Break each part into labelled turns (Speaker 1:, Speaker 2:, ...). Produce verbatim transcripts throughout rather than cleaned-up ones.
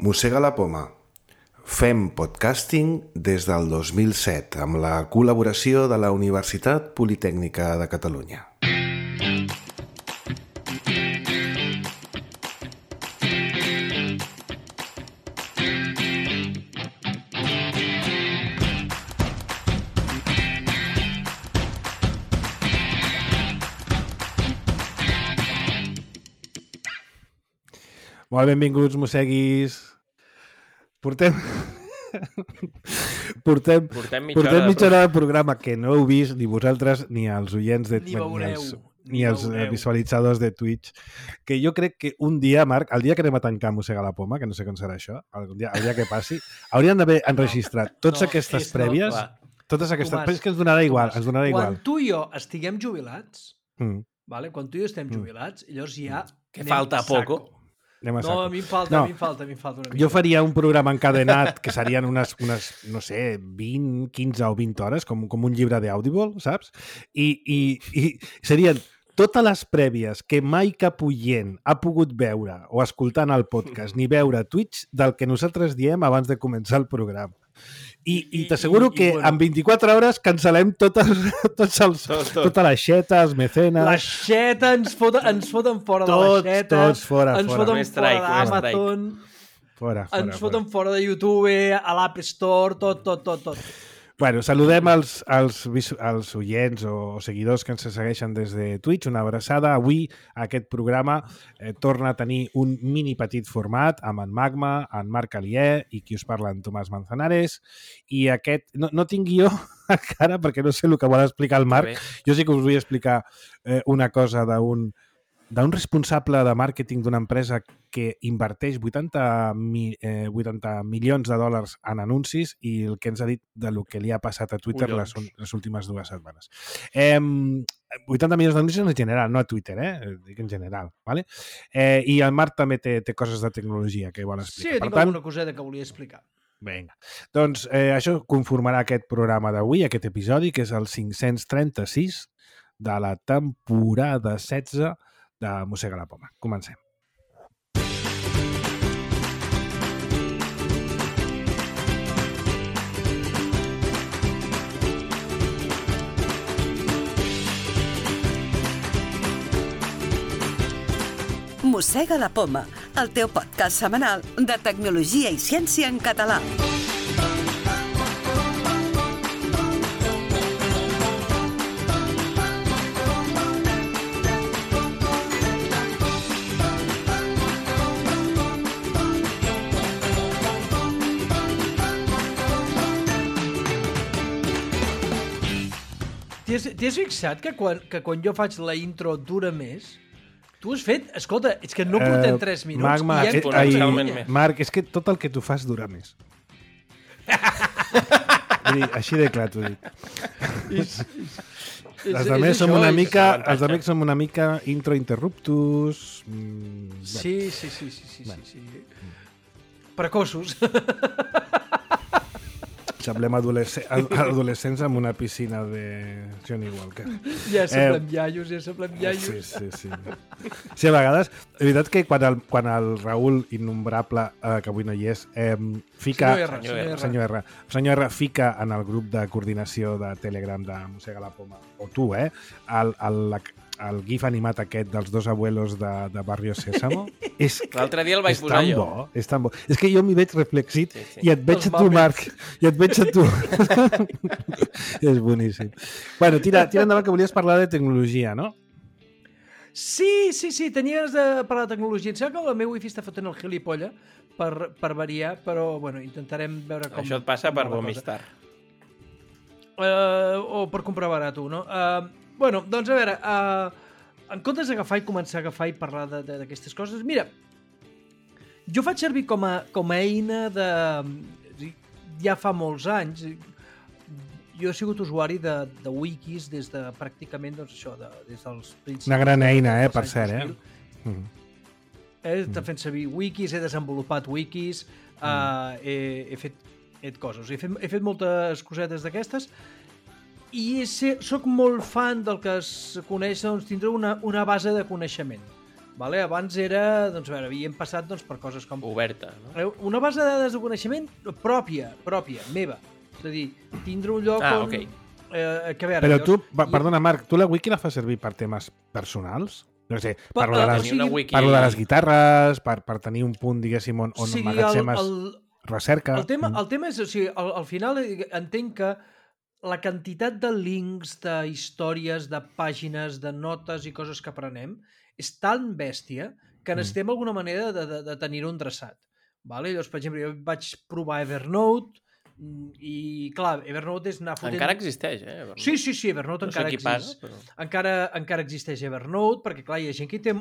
Speaker 1: Mossega la poma. Fem podcasting des del dos mil set amb la col·laboració de la Universitat Politècnica de Catalunya.
Speaker 2: Molt benvinguts, mosseguis. Portem... portem,
Speaker 3: Portem mitja
Speaker 2: portem
Speaker 3: hora,
Speaker 2: mitja hora de programa que no heu vist ni vosaltres ni els oients de,
Speaker 4: Ni veureu,
Speaker 2: els,
Speaker 4: ni
Speaker 2: ni els
Speaker 4: veureu.
Speaker 2: visualitzadors de Twitch, que jo crec que un dia, Marc, el dia que anem a tancar Mossega la Poma, que no sé com serà això, el dia, el dia que passi, hauríem d'haver enregistrat tots
Speaker 4: no,
Speaker 2: aquestes
Speaker 4: és- no,
Speaker 2: prèvies,
Speaker 3: clar.
Speaker 2: totes aquestes...
Speaker 4: Tomàs,
Speaker 2: Però és que ens donarà igual,
Speaker 4: Tomàs,
Speaker 2: ens donarà
Speaker 4: Quan
Speaker 2: igual.
Speaker 4: tu i jo estiguem jubilats,
Speaker 2: Mm.
Speaker 4: vale? quan tu i jo estem
Speaker 2: Mm.
Speaker 4: jubilats, llavors ja...
Speaker 3: Que
Speaker 4: anem
Speaker 3: falta
Speaker 4: a saco.
Speaker 3: poco.
Speaker 2: Anem a
Speaker 4: No,
Speaker 2: saco.
Speaker 4: a mi em falta,
Speaker 2: No.
Speaker 4: a mi em falta, a mi em falta una mica.
Speaker 2: Jo faria un programa encadenat que serien unes, unes no sé, vint, quinze o vint hores, com, com un llibre d'Audible, saps? I, i, I serien totes les prèvies que mai cap oient ha pogut veure o escoltar en el podcast ni veure a Twitch del que nosaltres diem abans de començar el programa. I, i
Speaker 4: I-
Speaker 2: t'asseguro
Speaker 4: i- i,
Speaker 2: que
Speaker 4: bueno.
Speaker 2: en vint-i-quatre hores cancel·lem totes, tots els,
Speaker 3: Tot, tot.
Speaker 2: tota la xeta, els mecenes...
Speaker 4: La xeta, ens foten, ens foten fora
Speaker 2: Tots,
Speaker 4: de la xeta.
Speaker 2: tots fora,
Speaker 4: ens
Speaker 2: fora.
Speaker 4: foten
Speaker 3: Un strike,
Speaker 4: fora
Speaker 3: un
Speaker 4: d'Amazon.
Speaker 2: Fora, fora,
Speaker 4: Ens
Speaker 2: fora.
Speaker 4: foten fora de YouTube, a l'App Store, tot, tot, tot, tot.
Speaker 2: Bueno, saludem els, els, visu- els oients o seguidors que ens segueixen des de Twitch. Una abraçada. Avui aquest programa eh, torna a tenir un mini petit format amb en Magma, en Marc Alier i qui us parla, en Tomàs Manzanares. I aquest... No, no tinc guió encara perquè no sé el que vol explicar el Marc. Jo sí que us vull explicar eh, una cosa d'un d'un responsable de màrqueting d'una empresa que inverteix vuitanta, mi, eh, vuitanta milions de dòlars en anuncis i el que ens ha dit de lo que li ha passat a Twitter les,
Speaker 3: Collons.
Speaker 2: les últimes dues setmanes. Eh, vuitanta milions d'anuncis en general, no a Twitter, eh? Dic en general. ¿vale? Eh, I el Marc també té, té coses de tecnologia que vol
Speaker 4: Sí,
Speaker 2: explicar.
Speaker 4: tinc
Speaker 2: per tant,
Speaker 4: alguna coseta que volia explicar.
Speaker 2: Vinga. Doncs eh, això conformarà aquest programa d'avui, aquest episodi, que és el cinc-cents trenta-sis de la temporada setze de Mossega la Poma. Comencem.
Speaker 5: Mossega la Poma, el teu podcast setmanal de tecnologia i ciència en català.
Speaker 4: T'hi has, t'hi has fixat que quan, que quan jo faig la intro dura més? Tu has fet... Escolta, és que no portem
Speaker 2: Eh,
Speaker 4: tres minuts
Speaker 2: Magma,
Speaker 4: i ja
Speaker 2: eh,
Speaker 4: hem portat
Speaker 2: ai,
Speaker 4: una
Speaker 3: realment
Speaker 4: mica.
Speaker 3: més.
Speaker 2: Marc, és que tot el que tu fas dura més. Vull dir, així de clar t'ho dic.
Speaker 4: És, és, és,
Speaker 2: Els altres som
Speaker 4: això,
Speaker 2: una
Speaker 4: és-
Speaker 2: mica,
Speaker 3: avantatge.
Speaker 2: els altres som una mica intro interruptus. Mm, bueno.
Speaker 4: Sí, sí, sí, sí, sí, sí, sí. Precoços.
Speaker 2: Semblem adolescents, adolescents amb una piscina de Johnny Walker.
Speaker 4: Ja semblem iaios, ja semblem iaios.
Speaker 2: Sí, sí, sí. Sí, a vegades, és veritat que quan el, quan el Raül Innombrable, eh, que avui no hi és, eh, fica...
Speaker 4: Senyor R, senyor R.
Speaker 2: Senyor R. Senyor R fica en el grup de coordinació de Telegram de Mossega la Poma, o tu, eh, el, el, la- el gif animat aquest dels dos abuelos de, de Barrio Sésamo. És,
Speaker 3: L'altre dia el vaig
Speaker 2: és
Speaker 3: posar
Speaker 2: tan
Speaker 3: jo.
Speaker 2: bo, és tan bo. És que jo m'hi veig reflexit
Speaker 3: Sí, sí.
Speaker 2: i et veig
Speaker 4: Els
Speaker 2: a tu,
Speaker 4: Muppets.
Speaker 2: Marc, i et veig a tu. És boníssim. Bueno, tira, tira endavant, que volies parlar de tecnologia, no?
Speaker 4: Sí, sí, sí, tenies de parlar de tecnologia. Em sembla que el meu wifi està fotent el gilipolla per, per variar, però bueno, intentarem veure com...
Speaker 3: Això et passa
Speaker 4: com
Speaker 3: per
Speaker 4: va la
Speaker 3: vomitar.
Speaker 4: cosa. Uh, o per comprar barat, tu, no? Uh, bueno, doncs a veure, uh, en comptes d'agafar i començar a agafar i parlar de- de- d'aquestes coses, mira, jo faig servir com a, com a eina de... Ja fa molts anys, jo he sigut usuari de, de wikis des de pràcticament, doncs això, de, des dels principis...
Speaker 2: Una gran eina, eh,
Speaker 4: dels
Speaker 2: per
Speaker 4: anys
Speaker 2: cert,
Speaker 4: dos
Speaker 2: eh?
Speaker 4: mil.
Speaker 2: Mm.
Speaker 4: He estat fent servir wikis, he desenvolupat wikis, mm. uh, he, he, fet, he fet coses. He fet, he fet moltes cosetes d'aquestes i sé, soc molt fan del que es coneix, doncs, tindre una, una base de coneixement. Vale? Abans era, doncs, a veure, havíem passat doncs, per coses com...
Speaker 3: Oberta, no?
Speaker 4: Una base de dades de coneixement pròpia, pròpia, meva. És a dir, tindre un lloc
Speaker 3: ah,
Speaker 4: on...
Speaker 3: Okay.
Speaker 4: Eh, que a veure,
Speaker 2: Però tu,
Speaker 4: llavors...
Speaker 2: perdona, Marc, tu la wiki la fas servir per temes personals? No sé,
Speaker 4: Per,
Speaker 2: parlo de
Speaker 4: uh,
Speaker 2: les,
Speaker 4: o sigui,
Speaker 3: wiki...
Speaker 2: parlo de les guitarres, per, per tenir un punt, diguéssim, on, on
Speaker 4: o sigui,
Speaker 2: emmagatzemes
Speaker 4: el, el,
Speaker 2: recerca.
Speaker 4: el, tema, el tema és, o sigui, al, al final entenc que la quantitat de links, de històries, de pàgines, de notes i coses que aprenem és tan bèstia que necessitem mm. alguna manera de, de, de tenir-ho endreçat. Vale? Llavors, per exemple, jo vaig provar Evernote i, clar, Evernote és anar fotent...
Speaker 3: Encara existeix, eh? Evernote.
Speaker 4: Sí, sí, sí, Evernote
Speaker 3: no
Speaker 4: encara
Speaker 3: sé qui
Speaker 4: existeix.
Speaker 3: paga, però...
Speaker 4: Encara, encara existeix Evernote, perquè, clar, hi ha gent que té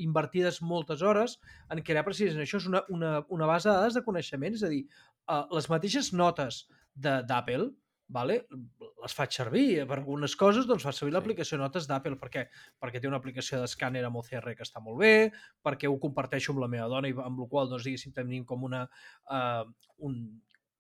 Speaker 4: invertides moltes hores en crear precisament això. És una, una, una base de dades de coneixement, és a dir, uh, les mateixes notes d'Apple, vale? Les faig servir per algunes coses, doncs faig servir sí. l'aplicació Notes d'Apple. Per què? Perquè té una aplicació d'escàner amb O C R que està molt bé, perquè ho comparteixo amb la meva dona i amb la qual, doncs, diguéssim, tenim com una... Uh, un,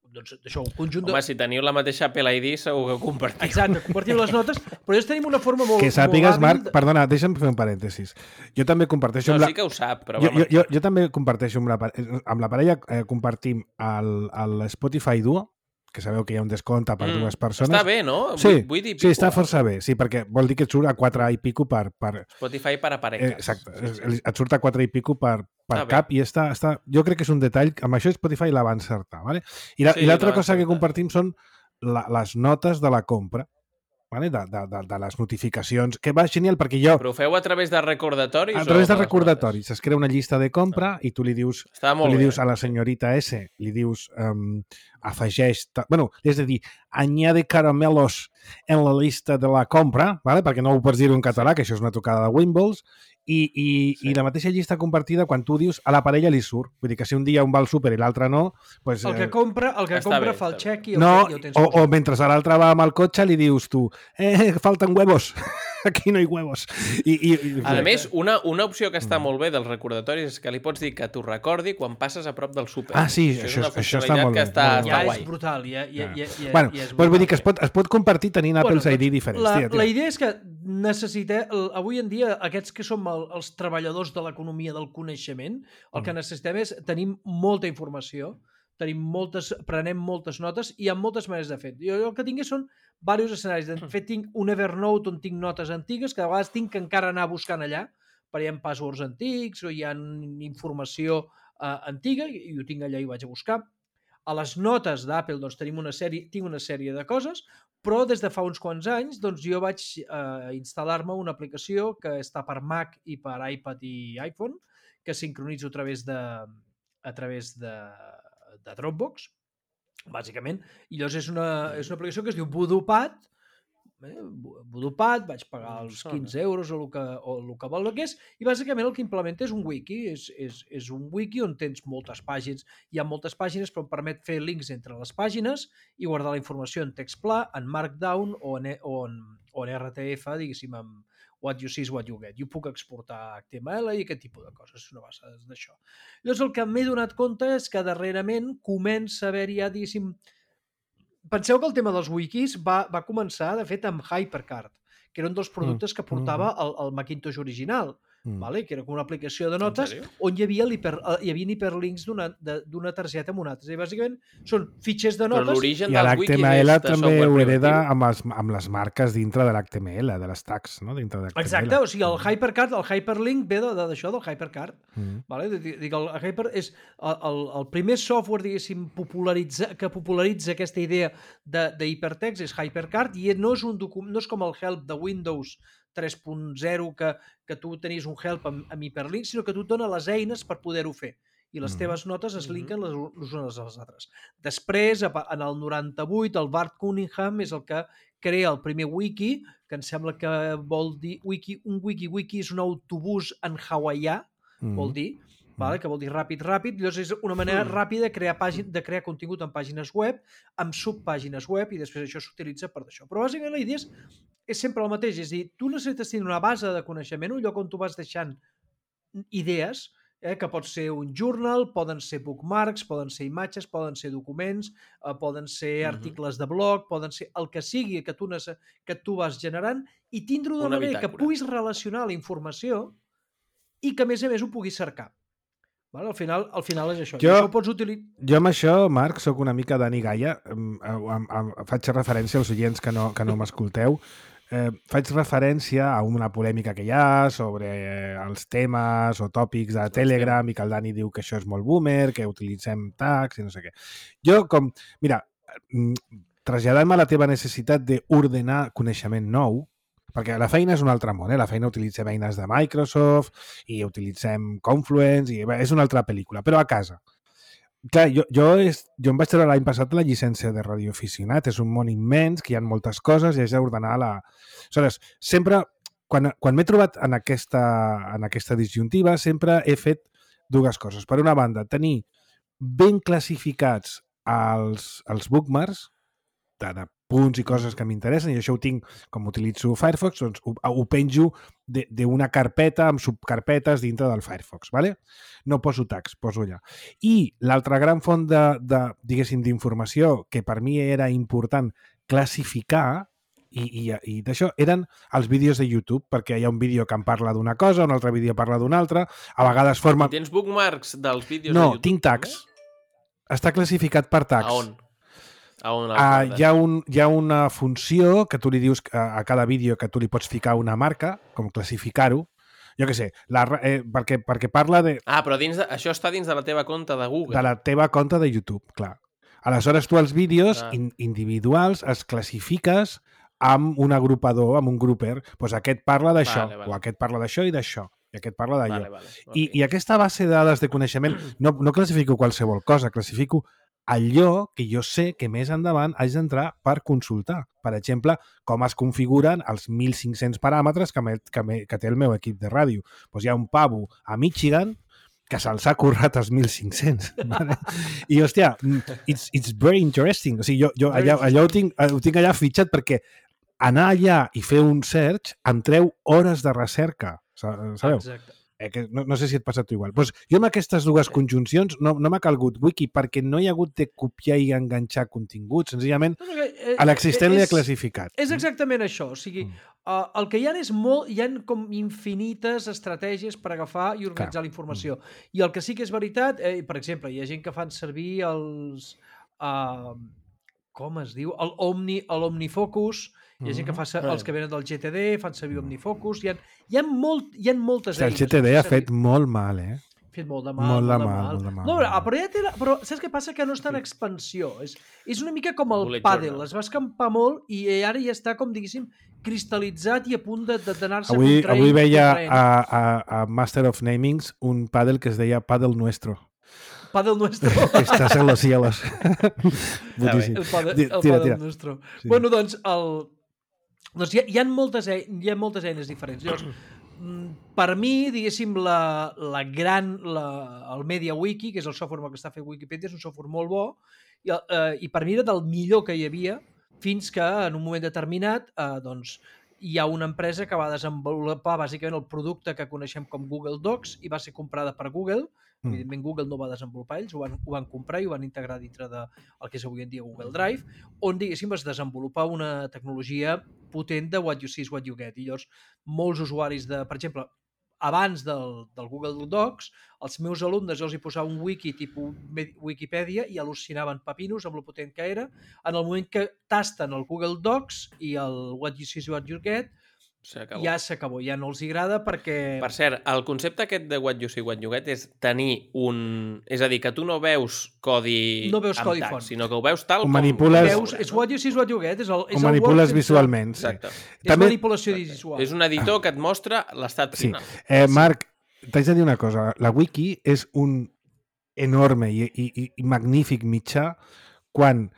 Speaker 4: doncs, això, un conjunt de...
Speaker 3: Home, si teniu la mateixa Apple I D, segur que compartiu.
Speaker 4: Exacte, compartim les notes, però llavors tenim una forma molt...
Speaker 2: Que sàpigues,
Speaker 4: molt
Speaker 2: Marc, de... perdona, deixa'm fer un parèntesis. Jo també comparteixo...
Speaker 3: No,
Speaker 2: amb la...
Speaker 3: sí que ho sap, però...
Speaker 2: Jo, jo, jo, jo també comparteixo amb la, amb la parella, eh, compartim el, el Spotify Duo, que sabeu que hi ha un descompte per mm, dues persones.
Speaker 3: Està bé, no?
Speaker 2: Sí,
Speaker 3: vuit i pico,
Speaker 2: sí, està força bé. Sí, perquè vol dir que et surt a quatre i pico per... per...
Speaker 3: Spotify per a parelles.
Speaker 2: Eh, exacte, sí, sí. Et surt a quatre i pico per, per
Speaker 3: ah,
Speaker 2: cap bé. I està, està... Jo crec que és un detall... Amb això Spotify la va encertar, ¿vale? I l'altra la, sí, cosa que compartim són la, les notes de la compra, ¿vale? de, de, de, de les notificacions, que va genial perquè jo...
Speaker 3: Però ho feu a través de recordatoris?
Speaker 2: A través de recordatoris. Es crea una llista de compra ah. i tu li dius, tu li dius a la senyorita S, li dius, um, afegeix... Bueno, és a dir, añade caramelos en la llista de la compra, ¿vale? Perquè no ho pots dir en català, que això és una tocada de Wimbles, i, i, sí. i la mateixa llista compartida, quan tu dius, a la parella li surt. Vull dir que si un dia un va al súper i l'altre no... Pues,
Speaker 4: el que compra, el que compra bé, fa el xec i el,
Speaker 2: no,
Speaker 4: i el tens.
Speaker 2: O, o mentre l'altre va amb el cotxe li dius tu, eh, falten huevos. Aquí no hi huevos. I, i, i...
Speaker 3: A més, una, una opció que està molt bé dels recordatoris és que li pots dir que t'ho recordi quan passes a prop del súper.
Speaker 2: Ah, sí, això, això, això està molt bé.
Speaker 3: Està,
Speaker 4: ja
Speaker 3: està
Speaker 4: és brutal. Ja, ja, ja, ja,
Speaker 2: bueno,
Speaker 4: ja és
Speaker 2: brutal. Vull dir que es pot, es pot compartir tenint
Speaker 4: bueno,
Speaker 2: Apple's I D diferents.
Speaker 4: La,
Speaker 2: tia, tia.
Speaker 4: la idea és que necessita, avui en dia, aquests que som el, els treballadors de l'economia del coneixement, el que necessitem és tenir molta informació, tenim moltes, prenem moltes notes i hi ha moltes maneres de fer. Jo el que tinc són diversos escenaris. De fet, tinc un Evernote on tinc notes antigues que a vegades tinc que encara anar buscant allà, perquè hi ha passwords antics o hi ha informació uh, antiga i ho tinc allà i ho vaig a buscar. A les notes d'Apple doncs, tenim una sèrie, tinc una sèrie de coses, però des de fa uns quants anys doncs, jo vaig uh, instal·lar-me una aplicació que està per Mac i per iPad i iPhone, que sincronitzo a través de, a través de de Dropbox, bàsicament, i llavors és una, és una aplicació que es diu VoodooPad, eh? VoodooPad, vaig pagar els quinze euros o el que, o el que vol el que és, i bàsicament el que implementa és un wiki, és, és, és un wiki on tens moltes pàgines, hi ha moltes pàgines, però em permet fer links entre les pàgines i guardar la informació en text pla, en Markdown o en, o en, o en R T F, diguéssim, amb what you see is what you get. Jo puc exportar H T M L i aquest tipus de coses, és una base d'això. Llavors el que m'he donat compte és que darrerament comença a haver-hi ja, diguéssim... Penseu que el tema dels wikis va, va començar, de fet, amb HyperCard, que era un dels productes que portava el, el Macintosh original, mm. vale? Que era com una aplicació de notes on hi havia, hiper, hi havia hiperlinks d'una targeta amb una altra. I bàsicament són fitxers de notes...
Speaker 3: Però l'origen
Speaker 2: dels wikis... I l'H T M L també ho hereda amb, els, amb les marques dintre de l'H T M L, de les tags, no? Dintre de
Speaker 4: exacte, o sigui, el Hypercard, el Hyperlink ve d'això, de, del Hypercard. Mm. Vale? Dic, el Hyper és el, el, el primer software, diguéssim, popularitza, que popularitza aquesta idea d'hipertext és HyperCard i no és, un document, no és com el Help de Windows tres punt zero que, que tu tenies un help amb, amb hiperlink, sinó que tu et dona les eines per poder-ho fer. I les teves notes es linken les, les unes a les altres. Després, en el noranta-vuit, el Bart Cunningham és el que crea el primer wiki, que em sembla que vol dir... Wiki, un wiki-wiki és un autobús en hawaià, mm. vol dir, vale? Que vol dir ràpid, ràpid. Llavors és una manera mm. ràpida de crear, pàgin, de crear contingut en pàgines web, amb subpàgines web, i després això s'utilitza per això. Però bàsicament la idea és, és sempre el mateix. És a dir, tu necessites tenir una base de coneixement, un lloc on tu vas deixant idees, eh, que pot ser un journal, poden ser bookmarks, poden ser imatges, poden ser documents, eh, poden ser uh-huh. articles de blog, poden ser el que sigui que tu, que tu vas generant, i tindre una manera que puguis relacionar la informació i que, a més a més, ho puguis cercar. Vale? Al final, al final és això.
Speaker 2: Jo,
Speaker 4: I això ho pots utilitzar...
Speaker 2: Jo amb això, Marc, sóc una mica Dani Gaia. Em, em, em, faig referència als oients que no, que no m'escolteu. Eh, faig referència a una polèmica que hi ha sobre els temes o tòpics de Telegram i que el Dani diu que això és molt boomer, que utilitzem tags i no sé què. Jo, com... Mira, traslladant-me a la teva necessitat d'ordenar coneixement nou, perquè la feina és un altre món, eh? La feina utilitzem eines de Microsoft i utilitzem Confluence i bé, és una altra pel·lícula, però a casa. Clar, jo, jo, és, jo em vaig treure l'any passat la llicència de radioaficionat, és un món immens, que hi ha moltes coses i has d'ordenar la... Aleshores, sempre, quan, quan m'he trobat en aquesta, en aquesta disjuntiva, sempre he fet dues coses. Per una banda, tenir ben classificats els, els bookmarks, de, de punts i coses que m'interessen, i això ho tinc, com utilitzo Firefox, doncs ho, ho penjo d'una carpeta amb subcarpetes dintre del Firefox, ¿vale? No poso tags, poso allà. I l'altra gran font de, de diguéssim, d'informació que per mi era important classificar i, i, i d'això eren els vídeos de YouTube, perquè hi ha un vídeo que em parla d'una cosa, un altre vídeo parla d'una altra, a vegades forma...
Speaker 3: I tens bookmarks dels vídeos
Speaker 2: no,
Speaker 3: de YouTube?
Speaker 2: No, tinc tags. També? Està classificat per tags.
Speaker 3: A on? A on
Speaker 2: uh, hi, ha un, hi ha una funció que tu li dius a, a cada vídeo que tu li pots ficar una marca, com classificar-ho. Jo què sé, la, eh, perquè, perquè parla de...
Speaker 3: Ah, però dins de, això està dins de la teva compte de Google.
Speaker 2: De la teva compte de YouTube, clar. Aleshores, tu els vídeos ah. in, individuals els classifiques amb un agrupador, amb un grouper. Pues aquest parla d'això, vale, vale. O aquest parla d'això i d'això, i aquest parla d'allò. Vale, vale. Okay. I, I aquesta base de dades de coneixement no, no classifico qualsevol cosa, classifico allò que jo sé que més endavant haig d'entrar per consultar. Per exemple, com es configuren els mil cinc-cents paràmetres que, me, que, me, que té el meu equip de ràdio. Doncs hi ha un pavo a Michigan que se'ls ha currat els mil cinc-cents. Vale? I, hòstia, it's, it's very interesting. O sigui, jo, jo allà, allò ho tinc, ho tinc allà fitxat perquè anar allà i fer un search em treu hores de recerca. Sabeu?
Speaker 4: Exacte.
Speaker 2: Eh, que no, no sé si et passa tu igual. Pues jo amb aquestes dues conjuncions no, no m'ha calgut wiki perquè no hi ha hagut de copiar i enganxar contingut. Senzillament, a l'existent li ha classificat.
Speaker 4: És exactament això. O sigui, mm. uh, el que hi ha és molt... Hi ha com infinites estratègies per agafar i organitzar la informació. Mm. I el que sí que és veritat, eh, per exemple, hi ha gent que fan servir els... Uh, com es diu? El Omni, l'Omnifocus. Hi ha gent que fa els que venen del G T D, fan servir Omnifocus. Hi ha, hi ha, molt, hi ha moltes eines.
Speaker 2: El G T D ha fet molt mal, eh?
Speaker 4: Ha fet molt de mal.
Speaker 2: Molt de
Speaker 4: molt
Speaker 2: mal,
Speaker 4: de mal.
Speaker 2: molt de mal.
Speaker 4: No, però, però, ja té la, però saps què passa? Que no està en expansió. És, és una mica com el pàdel. Es va escampar molt i ara ja està, com diguéssim, cristal·litzat i a punt d'anar-se
Speaker 2: avui,
Speaker 4: contraint.
Speaker 2: Avui veia a, a, a Master of Namings un pàdel que es deia Pàdel Nuestro.
Speaker 4: Pàdel Nuestro.
Speaker 2: Estàs en los cielos.
Speaker 4: El Pàdel, el Pàdel Nuestro. Sí. Bueno, doncs, el... Doncs hi ha, hi ha, moltes, hi ha moltes eines diferents. Llavors, per mi, diguéssim, la, la gran, la, el MediaWiki, que és el software que està fent Wikipedia, és un software molt bo i, eh, i per mi era del millor que hi havia fins que en un moment determinat eh, doncs, hi ha una empresa que va desenvolupar bàsicament el producte que coneixem com Google Docs i va ser comprada per Google. Mm. Evidentment, Google no va desenvolupar ells, ho van, ho van comprar i ho van integrar dintre del de que és avui en dia Google Drive, on, diguéssim, es desenvolupar una tecnologia potent de what you see is what you get. I llavors, molts usuaris de, per exemple, abans del, del Google Docs, els meus alumnes jo els hi posava un wiki tipus Wikipedia i al·lucinaven papinos amb lo potent que era. En el moment que tasten el Google Docs i el what you see is what you get, ja s'acabó, ja no els agrada perquè...
Speaker 3: Per cert, el concepte aquest de what you see, what you get és tenir un... És a dir, que tu no veus codi
Speaker 4: no veus
Speaker 3: amb
Speaker 4: codi
Speaker 3: tags,
Speaker 4: font,
Speaker 3: sinó que ho veus tal
Speaker 2: ho
Speaker 3: com...
Speaker 2: Manipules...
Speaker 4: Veus, és what you see, what you get. És el, és
Speaker 2: ho manipules
Speaker 4: el
Speaker 2: visualment.
Speaker 3: Exacte.
Speaker 4: És També... manipulació visual.
Speaker 3: És un editor que et mostra l'estat
Speaker 2: sí.
Speaker 3: final.
Speaker 2: Eh, Marc, t'haig de dir una cosa. La wiki és un enorme i, i, i magnífic mitjà quan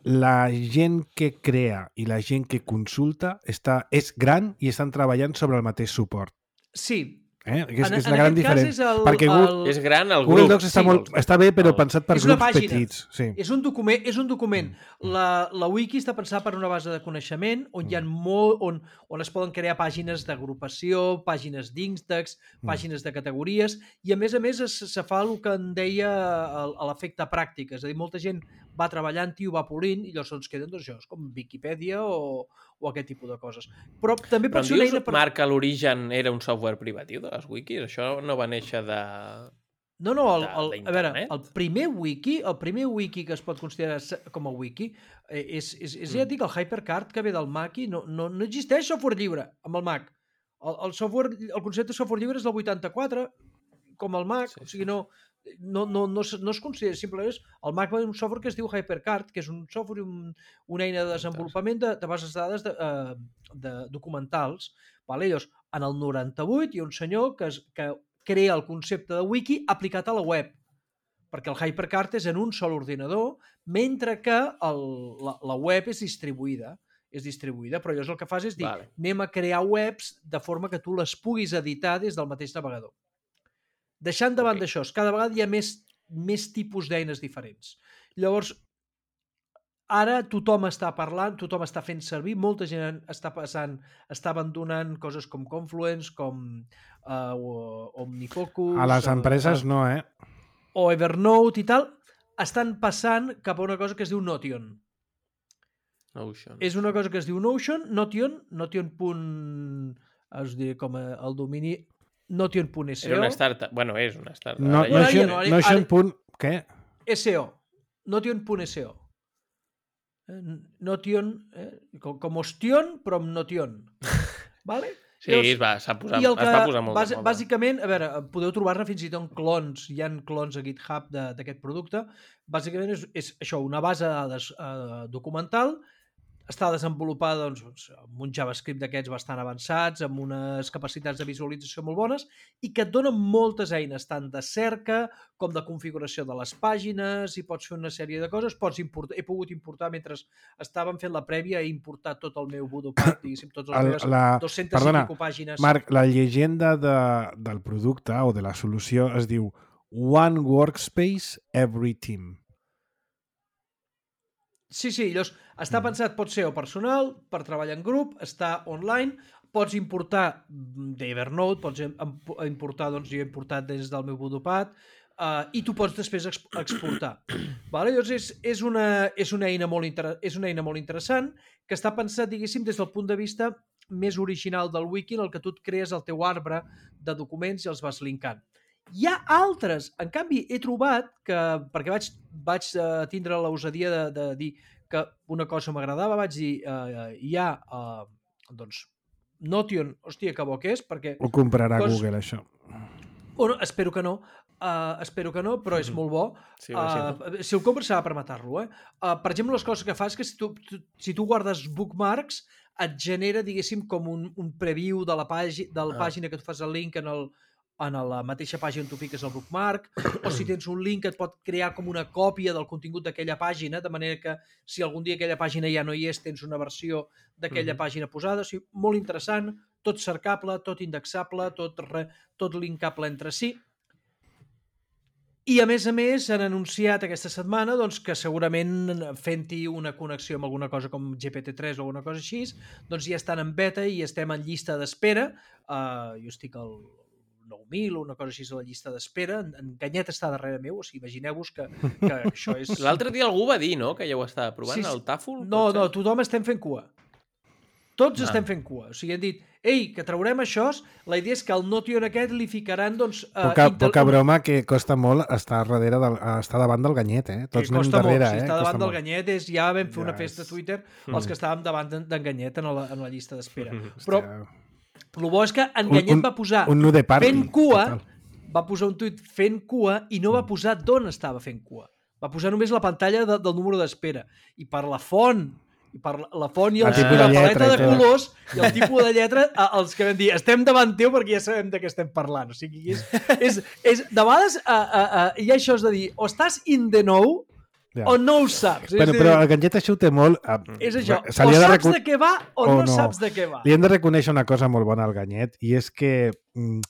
Speaker 2: la gent que crea i la gent que consulta està, és gran i estan treballant sobre el mateix suport.
Speaker 4: Sí.
Speaker 2: Eh? És,
Speaker 4: en,
Speaker 2: és la gran diferència.
Speaker 4: El,
Speaker 2: Perquè Google,
Speaker 3: el... és gran el
Speaker 2: Google
Speaker 3: grup.
Speaker 2: Docs està, sí, molt, està bé, però el... pensat per
Speaker 4: és
Speaker 2: grups
Speaker 4: pàgina.
Speaker 2: petits. Sí.
Speaker 4: És un document. És un document. La, la wiki està pensada per una base de coneixement on, hi ha molt, on, on es poden crear pàgines d'agrupació, pàgines d'índex, pàgines de categories, i a més a més es, se fa el que en deia a l'efecte pràctic. És a dir, molta gent va treballant-hi, ho va polint, i llavors ens queden, doncs, això, és com Wikipedia o, o aquest tipus de coses. Però també
Speaker 3: Però
Speaker 4: pot
Speaker 3: em
Speaker 4: ser una
Speaker 3: dius,
Speaker 4: eina... Per...
Speaker 3: Marc, que l'origen era un software privatiu de les wikis? Això no va néixer de...
Speaker 4: No, no, el,
Speaker 3: de-
Speaker 4: el, a veure,
Speaker 3: d'internet?
Speaker 4: el primer wiki, el primer wiki que es pot considerar se- com a wiki eh, és, és, és ja et dic, el HyperCard que ve del Mac i no, no, no existeix software lliure amb el Mac. El, el, software, el concepte de software lliure és del vuitanta-quatre, com el Mac,
Speaker 3: Sí,
Speaker 4: o sigui,
Speaker 3: sí.
Speaker 4: no, no, no, no, es, no es considera, simplement és, el Mac va un software que es diu HyperCard, que és un software, un, una eina de desenvolupament de, de bases de dades de, uh, de documentals. Vale? Llavors, en el noranta-vuit hi ha un senyor que, es, que crea el concepte de wiki aplicat a la web, perquè el HyperCard és en un sol ordinador, mentre que el, la, la web és distribuïda. És distribuïda, però llavors el que fas és dir,
Speaker 3: Vale.
Speaker 4: anem a crear webs de forma que tu les puguis editar des del mateix navegador. Deixant de banda
Speaker 3: Ok.
Speaker 4: això, cada vegada hi ha més, més tipus d'eines diferents. Llavors, ara tothom està parlant, tothom està fent servir, molta gent està passant, està abandonant coses com Confluence, com uh, Omnifocus...
Speaker 2: A les empreses
Speaker 4: uh,
Speaker 2: no, eh?
Speaker 4: o Evernote i tal, estan passant cap a una cosa que es diu Notion.
Speaker 3: Notion.
Speaker 4: És una cosa que es diu Notion, Notion, Notion. Es diu com a, el domini Notion punt S O.
Speaker 3: Era una startup. Bueno, és una startup.
Speaker 2: No,
Speaker 3: Ara ja-
Speaker 4: Notion-
Speaker 2: Notion,
Speaker 4: ara-
Speaker 2: Notion
Speaker 4: ara-
Speaker 2: punt... Què?
Speaker 4: S O. Notion punt S O. Eh, Notion, eh? com, com Ostion, però amb Notion. Vale?
Speaker 3: Sí, es va, s'ha posat,
Speaker 4: I el
Speaker 3: es
Speaker 4: que,
Speaker 3: va posar molt
Speaker 4: bàs,
Speaker 3: de moda.
Speaker 4: bàsicament, a veure, podeu trobar-ne fins i tot clons, hi ha clons a GitHub de- d'aquest producte, bàsicament és, és això, una base de dades eh, documental, està desenvolupada doncs, amb un JavaScript d'aquests bastant avançats, amb unes capacitats de visualització molt bones i que et donen moltes eines, tant de cerca com de configuració de les pàgines, i pots fer una sèrie de coses. Pots importar, he pogut importar, mentre estàvem fent la prèvia, he importat tot el meu Bodopat, diguéssim, tots els
Speaker 2: El-
Speaker 4: meves
Speaker 2: la-
Speaker 4: dues-centes
Speaker 2: perdona,
Speaker 4: i pico pàgines.
Speaker 2: Marc, la llegenda de, del producte o de la solució es diu One Workspace, Every Team.
Speaker 4: Sí, sí, llavors està pensat, pot ser o personal, per treballar en grup, està online, pots importar d'Evernote, pots em- importar, doncs jo he importat des del meu Bodopat, uh, i tu pots després exp exportar. Vale? Llavors és, és, una, és, una eina molt inter és una eina molt interessant que està pensat, diguéssim, des del punt de vista més original del wiki, en el que tu et crees el teu arbre de documents i els vas linkant. Hi ha altres, en canvi he trobat que, perquè vaig, vaig uh, tindre l'osadia de, de dir que una cosa m'agradava, vaig dir uh, hi ha uh, doncs Notion, hòstia, que bo que és, perquè...
Speaker 2: Ho comprarà
Speaker 4: Cos-
Speaker 2: Google, això.
Speaker 4: O no, espero que no, uh, espero que no, però és molt bo.
Speaker 3: Sí, va, sí, no?
Speaker 4: Uh, si el compres serà per matar-lo, eh? Uh, per exemple, les coses que fas que si tu, tu, si tu guardes bookmarks et genera, diguéssim, com un, un preview de la, pàgina, de la
Speaker 3: Ah.
Speaker 4: pàgina que tu fas el link en el, en la mateixa pàgina on tu fiques el bookmark, o si tens un link et pot crear com una còpia del contingut d'aquella pàgina, de manera que si algun dia aquella pàgina ja no hi és, tens una versió d'aquella
Speaker 3: Mhm.
Speaker 4: pàgina posada. O sigui, molt interessant, tot cercable, tot indexable, tot, re, tot linkable entre si. I a més a més han anunciat aquesta setmana doncs, que segurament fent-hi una connexió amb alguna cosa com G P T tres o alguna cosa així, doncs ja estan en beta i estem en llista d'espera. Uh, jo estic al nou mil o una cosa així a la llista d'espera. En, en Ganyet està darrere meu, o sigui, imagineu-vos que, que això és...
Speaker 3: L'altre dia algú va dir, no?, que ja ho estava provant,
Speaker 4: Sí, sí.
Speaker 3: el Taful?
Speaker 4: No,
Speaker 3: pot
Speaker 4: no,
Speaker 3: ser?
Speaker 4: tothom estem fent cua. Tots
Speaker 3: Ah.
Speaker 4: estem fent cua. O sigui, han dit, ei, que traurem això, la idea és que al Notion aquest li ficaran, doncs... eh,
Speaker 2: Poca,
Speaker 4: intel-
Speaker 2: poca broma que costa molt estar darrere del, estar davant del ganyet, eh?
Speaker 4: que
Speaker 2: Tots anem
Speaker 4: costa
Speaker 2: darrere,
Speaker 4: molt, si
Speaker 2: eh?
Speaker 4: està
Speaker 2: Costa
Speaker 4: davant del
Speaker 2: molt.
Speaker 4: Ganyet, és, ja vam fer una
Speaker 2: Ja
Speaker 4: festa a
Speaker 2: és-
Speaker 4: Twitter
Speaker 3: Mm.
Speaker 4: els que estàvem davant d'en d'en Ganyet en la, en la llista d'espera.
Speaker 3: Hòstia.
Speaker 4: Però el bo és que en
Speaker 2: Un-
Speaker 4: Ganyet
Speaker 2: un-
Speaker 4: va posar
Speaker 2: Un nu de party.
Speaker 4: fent cua,
Speaker 2: total.
Speaker 4: va posar un tuit fent cua i no va posar d'on estava fent cua. Va posar només la pantalla de, del número d'espera. I per la font, i per la, la font i,
Speaker 2: El
Speaker 4: els,
Speaker 2: tipus
Speaker 4: i la
Speaker 2: de
Speaker 4: paleta
Speaker 2: lletra i
Speaker 4: de
Speaker 2: tot.
Speaker 4: colors i el tipus de lletra, a- els que vam dir, estem davant teu perquè ja sabem de què estem parlant. O sigui, és, és, és de vegades a, a, a, hi ha això de dir, o estàs in the know
Speaker 2: Ja.
Speaker 4: o no ho saps.
Speaker 2: Però,
Speaker 4: és, a
Speaker 2: però
Speaker 4: dir,
Speaker 2: el ganget això ho té molt... eh,
Speaker 4: és això,
Speaker 2: se
Speaker 4: o
Speaker 2: li ha de
Speaker 4: saps
Speaker 2: recon-
Speaker 4: de què va o,
Speaker 2: o
Speaker 4: no,
Speaker 2: no.
Speaker 4: saps de què va.
Speaker 2: Li hem de reconèixer una cosa molt bona al Ganyet, i és que mm,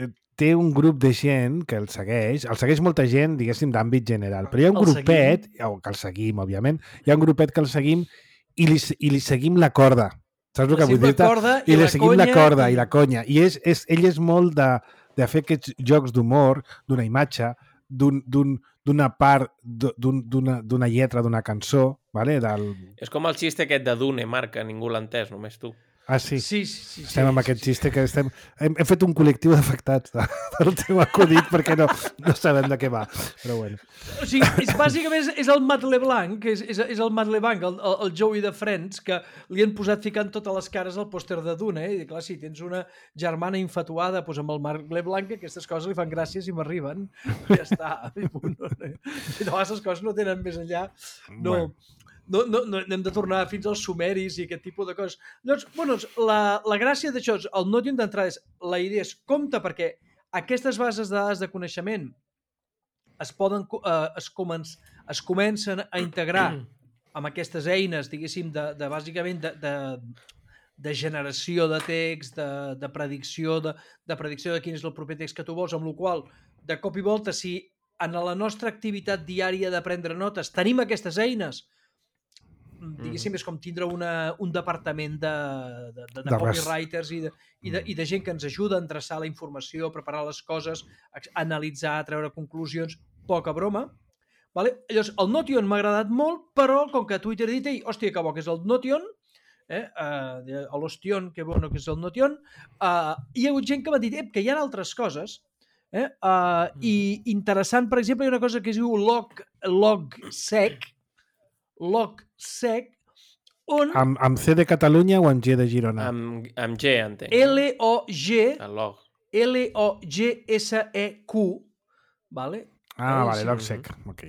Speaker 2: eh, té un grup de gent que el segueix, el segueix molta gent, diguéssim, d'àmbit general, però hi ha un
Speaker 4: El
Speaker 2: grupet, o que el seguim, òbviament, hi ha un grupet que el seguim i li, i li seguim la corda. Saps el que vull
Speaker 4: Sempre
Speaker 2: dir-te?
Speaker 4: corda
Speaker 2: I li
Speaker 4: la
Speaker 2: seguim la
Speaker 4: conya
Speaker 2: corda i la conya. I és, és, ell és molt de, de fer aquests jocs d'humor, d'una imatge, d'un- d'un- d'una part, d'un- d'una d'una lletra, d'una cançó, vale? Del...
Speaker 3: És com el xiste aquest de Dune, Marc, que ningú l'ha entès, només tu.
Speaker 2: Ah, sí?
Speaker 4: Sí, sí, sí.
Speaker 2: Estem
Speaker 4: sí,
Speaker 2: amb
Speaker 4: sí,
Speaker 2: aquest
Speaker 4: sí.
Speaker 2: xiste que estem... Hem, hem fet un col·lectiu d'afectats de, del teu acudit perquè no, no sabem de què va. Però bueno.
Speaker 4: O sigui, és, bàsicament és, és el Matt LeBlanc, és, és, és el Matt LeBlanc, el, el, el Joey de Friends, que li han posat ficant totes les cares al pòster de Dune, eh? I clar, si tens una germana infatuada doncs amb el Marc LeBlanc, aquestes coses li fan gràcies i m'arriben. Ja està. I punt. I no, aquestes coses no tenen més enllà. No...
Speaker 2: Bueno.
Speaker 4: No, no, no, hem de tornar fins als sumeris i aquest tipus de coses. Llavors, bueno, la, la gràcia d'això, el Notion d'entrada és, la idea és compte perquè aquestes bases de dades de coneixement es poden, eh, es, començ, es comencen a integrar amb aquestes eines, diguéssim, de, de bàsicament de, de, de generació de text, de, de predicció de, de predicció de quin és el proper text que tu vols, amb la qual de cop i volta, si en la nostra activitat diària de prendre notes tenim aquestes eines, diguéssim, és com tindre una, un departament de, de, de, de, de copywriters i de, i, de, i de gent que ens ajuda a endreçar la informació, a preparar les coses, a analitzar, a treure conclusions, poca broma. Vale? Llavors, el Notion m'ha agradat molt, però com que Twitter ha dit, ei, hòstia, que bo que és el Notion, eh, uh, l'Ostion, que bueno que és el Notion, uh, hi ha hagut gent que m'ha dit, eh, que hi ha altres coses, eh, uh, i interessant, per exemple, hi ha una cosa que es diu log, logsec, logsec, on...
Speaker 2: Amb, amb C de Catalunya o amb G de Girona?
Speaker 3: Amb, amb G, entenc.
Speaker 4: L O G
Speaker 3: El log.
Speaker 4: L O G S E Q, vale?
Speaker 2: Ah,
Speaker 4: eh,
Speaker 2: vale,
Speaker 4: sí.
Speaker 2: logsec. Ok.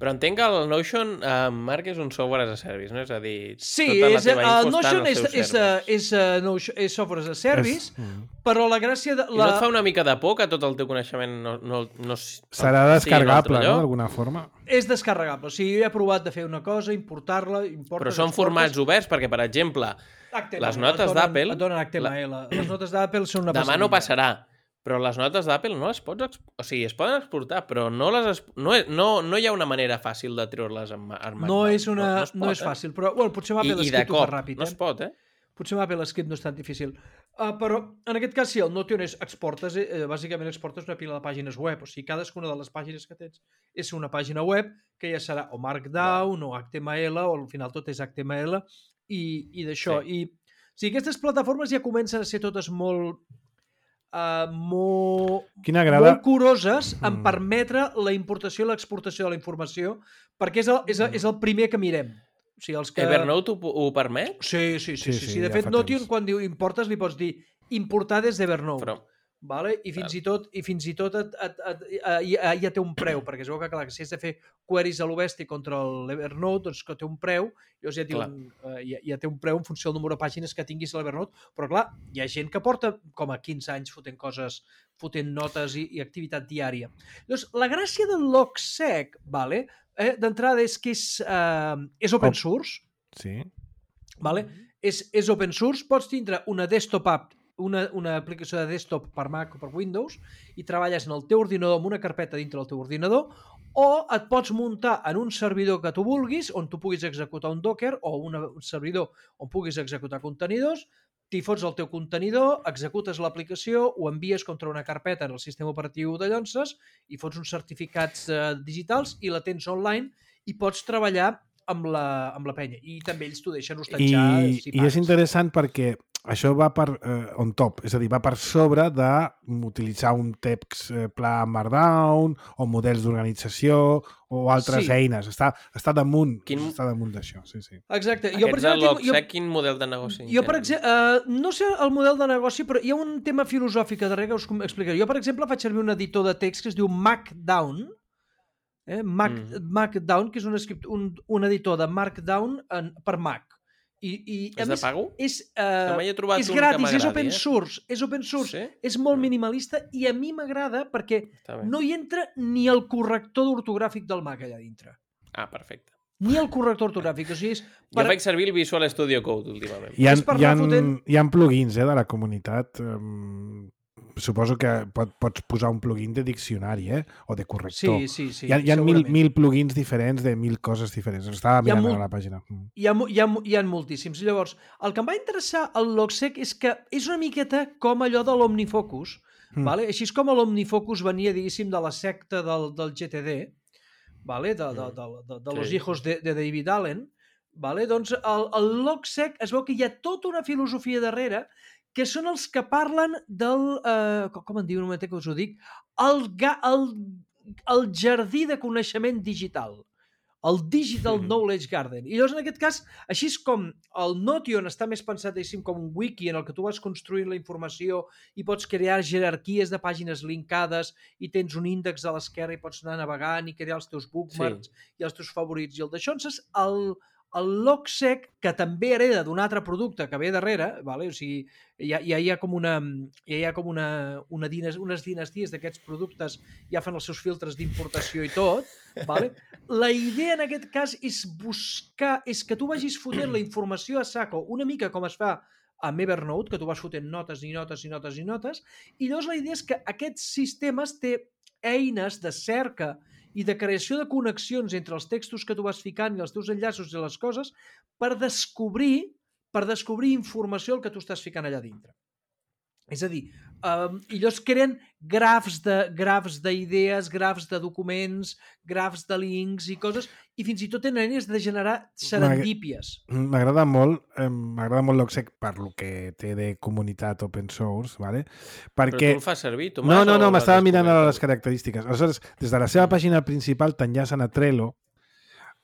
Speaker 3: Però entenc que el Notion, eh, Marc, és un software as a service, no? És a dir,
Speaker 4: Sí,
Speaker 3: tota la
Speaker 4: és,
Speaker 3: teva
Speaker 4: uh,
Speaker 3: info està
Speaker 4: Notion
Speaker 3: en els
Speaker 4: és,
Speaker 3: seus
Speaker 4: és, uh,
Speaker 3: servers.
Speaker 4: és, uh, Notion, és software as a service,
Speaker 2: És... Mm.
Speaker 4: però la gràcia de...
Speaker 3: I
Speaker 4: La...
Speaker 3: no et fa una mica de por que tot el teu coneixement no, no, no
Speaker 2: Serà
Speaker 3: sigui en un altre
Speaker 2: descarregable, no?,
Speaker 3: lloc?
Speaker 2: d'alguna forma.
Speaker 4: És descarregable. O sigui, jo he provat de fer una cosa, importar-la... Importes,
Speaker 3: Però són
Speaker 4: exportes...
Speaker 3: formats oberts, perquè, per exemple,
Speaker 4: H T M L,
Speaker 3: les notes
Speaker 4: et donen-
Speaker 3: d'Apple-
Speaker 4: Et donen H T M L. Les notes d'Apple són una
Speaker 3: demà no
Speaker 4: passadilla.
Speaker 3: passarà, però les notes d'Apple no les pots... Exp... O sigui, es poden exportar, però no, les es... no, és- no, no hi ha una manera fàcil de treure-les en, ma- en
Speaker 4: No és, una, no,
Speaker 3: es pot,
Speaker 4: no és fàcil, però bueno, potser amb
Speaker 3: Eh?
Speaker 4: Apple
Speaker 3: I, I de
Speaker 4: Script ho fa
Speaker 3: cop,
Speaker 4: ràpid.
Speaker 3: no
Speaker 4: Eh?
Speaker 3: es pot, eh?
Speaker 4: Potser amb Apple Script no és tan difícil. Uh, però en aquest cas, sí, el Notion és exportes, eh, bàsicament exportes una pila de pàgines web. O sigui, cadascuna de les pàgines que tens és una pàgina web que ja serà o Markdown o H T M L, o al final tot és H T M L, i, i d'això.
Speaker 3: Sí.
Speaker 4: I o sigui, aquestes plataformes ja comencen a ser totes molt... Uh, molt,
Speaker 2: Quina agrada...
Speaker 4: molt curoses en
Speaker 2: Mm.
Speaker 4: permetre la importació i l'exportació de la informació, perquè és el, és el, és el primer que mirem. O sigui, els que...
Speaker 3: Evernote ho, ho permet?
Speaker 4: Sí, sí, sí.
Speaker 2: Sí,
Speaker 4: sí,
Speaker 2: sí,
Speaker 4: sí. De
Speaker 2: ja
Speaker 4: fet,
Speaker 2: fa
Speaker 4: Notion,
Speaker 2: temps.
Speaker 4: quan diu importes, li pots dir importar des d'Evernote.
Speaker 3: Però,
Speaker 4: Vale? I fins i tot, i fins i tot et, et, et, et, ja, ja té un preu, perquè es veu que, clar, que si has de fer queries a l'Obesti contra l'Evernote, doncs que té un preu, llavors ja,
Speaker 3: Clar.
Speaker 4: un, uh, ja, ja té un preu en funció del número de pàgines que tinguis a l'Evernote, però clar, hi ha gent que porta com a quinze anys fotent coses, fotent notes i, i activitat diària. Llavors, la gràcia del logsec, vale? eh, d'entrada és que és, uh, és open source,
Speaker 2: Sí.
Speaker 4: vale? és, és open source, pots tindre una desktop app, una, una aplicació de desktop per Mac o per Windows i treballes en el teu ordinador amb una carpeta dintre del teu ordinador, o et pots muntar en un servidor que tu vulguis on tu puguis executar un Docker o una, un servidor on puguis executar contenidors, t'hi fots el teu contenidor, executes l'aplicació, ho envies contra una carpeta en el sistema operatiu de llonses i fots uns certificats eh, digitals i la tens online i pots treballar amb la, amb la penya. I també ells t'ho deixen hostatjar.
Speaker 2: I,
Speaker 4: si
Speaker 2: I és
Speaker 4: pagues.
Speaker 2: interessant perquè això va per eh, on top, és a dir, va per sobre d'utilitzar un text eh, pla Markdown o models d'organització o altres
Speaker 4: Sí.
Speaker 2: eines. Està, està damunt,
Speaker 3: Quin-
Speaker 2: està damunt d'això, sí, sí.
Speaker 4: Exacte. Jo, per
Speaker 3: Aquests de
Speaker 4: exemple, tinc, jo,
Speaker 3: l'Obsec, quin model de negoci?
Speaker 4: Jo, per
Speaker 3: tenen?
Speaker 4: exemple, uh, no sé el model de negoci, però hi ha un tema filosòfic darrere que us com- explicaré. Jo, per exemple, faig servir un editor de text que es diu Markdown, eh? Mac,
Speaker 3: Mm.
Speaker 4: Markdown, que és un, escript, un, un editor de Markdown en, per Mac. I, i, a
Speaker 3: És de
Speaker 4: més,
Speaker 3: pago?
Speaker 4: És,
Speaker 3: Que
Speaker 4: uh,
Speaker 3: mai he trobat
Speaker 4: és
Speaker 3: un que
Speaker 4: gratis, és
Speaker 3: m'agradi,
Speaker 4: open
Speaker 3: eh?
Speaker 4: source, és open source,
Speaker 3: Sí?
Speaker 4: és molt
Speaker 3: Mm.
Speaker 4: minimalista i a mi m'agrada perquè
Speaker 3: Està bé.
Speaker 4: no hi entra ni el corrector d'ortogràfic del Mac allà dintre.
Speaker 3: Ah, perfecte.
Speaker 4: Ni el corrector ortogràfic. O sigui, és
Speaker 3: Jo faig servir el Visual Studio Code últimament.
Speaker 2: Hi ha,
Speaker 4: És per
Speaker 2: hi ha,
Speaker 4: anar fotent-
Speaker 2: hi ha plugins eh, de la comunitat. Um, suposo que pot, pots posar un plugin de diccionari eh? o de corrector.
Speaker 4: Sí, sí, sí.
Speaker 2: hi ha, hi ha mil,
Speaker 4: segurament.
Speaker 2: mil plugins diferents de mil coses diferents. Estava
Speaker 4: Hi ha
Speaker 2: mirant
Speaker 4: molt-
Speaker 2: a la pàgina. Mm.
Speaker 4: Hi ha, mo- hi, ha, mo- hi ha moltíssims. Llavors, el que em va interessar al Logsec és que és una miqueta com allò de l'Omnifocus.
Speaker 2: Mm.
Speaker 4: Vale? Així és com l'Omnifocus venia, diguéssim, de la secta del, del G T D, vale? de, de, de, de, de los
Speaker 3: Sí.
Speaker 4: hijos de, de David Allen. Vale? Doncs el, el LogSec es veu que hi ha tota una filosofia darrere que són els que parlen del... Eh, com en diu, un moment que us ho dic? El, ga, el, el jardí de coneixement digital. El Digital Knowledge Garden. I llavors, en aquest cas, així és com el Notion està més pensat com un wiki en el que tu vas construint la informació i pots crear jerarquies de pàgines linkades i tens un índex a l'esquerra i pots anar navegant i crear els teus bookmarks sí. i els teus favorits i el d'això. El, el LogSec, que també hereda d'un altre producte que ve darrere, vale? O sigui, ja, ja hi ha com una, ja hi ha com una, una dines, unes dinasties d'aquests productes, ja fan els seus filtres d'importació i tot. Vale? La idea en aquest cas és buscar, és que tu vagis fotent la informació a saco, una mica com es fa amb Evernote, que tu vas fotent notes i notes i notes i notes, i llavors la idea és que aquests sistemes té eines de cerca i de creació de connexions entre els textos que tu vas ficant i els teus enllaços i les coses per descobrir, per descobrir informació el que tu estàs ficant allà dintre. És a dir, um, i llavors creen grafs de grafs d'idees, grafs de documents, grafs de links i coses, i fins i tot tenen eines de generar serendípies.
Speaker 2: M'agrada molt, eh, m'agrada molt l'Oxec per lo que té de comunitat open source, ¿vale? Perquè...
Speaker 3: Però tu el fas servir, Tomàs?
Speaker 2: No, no, no, m'estava mirant a les característiques. Aleshores, des de la seva pàgina principal t'enllacen a Trello,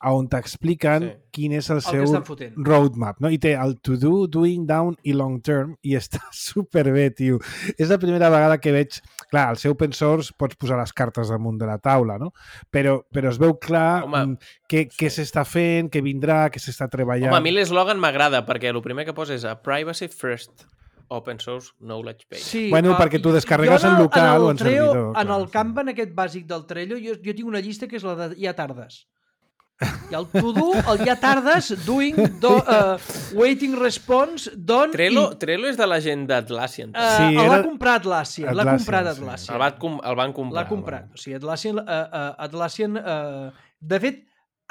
Speaker 2: on t'expliquen sí. quin és el, el seu roadmap, no? I té el to do, doing, down i long term, i està superbé, tio. És la primera vegada que veig... Clar, al seu open source pots posar les cartes damunt de la taula, no? Però, però es veu clar Home, què, sí. què s'està fent, què vindrà, què s'està treballant...
Speaker 3: Home, a mi l'eslògan m'agrada, perquè el primer que posa és a privacy first open source knowledge base.
Speaker 2: Sí, bueno, uh, perquè tu descarregues en local en o en
Speaker 4: Trello,
Speaker 2: servidor.
Speaker 4: En clar. El Kanban aquest bàsic del Trello, jo, jo tinc una llista que és la de ja tardes. I el to do, el ja tardes, doing, do, uh, waiting response, done...
Speaker 3: Trello,
Speaker 4: i...
Speaker 3: Trello és de la gent d'Atlassian.
Speaker 4: Uh, sí, el va comprar Atlassian. L'ha comprat Atlassian.
Speaker 3: Sí. El, van com, el van comprar.
Speaker 4: L'ha comprat. O sigui, Atlassian... Uh, uh, Atlassian uh, de fet,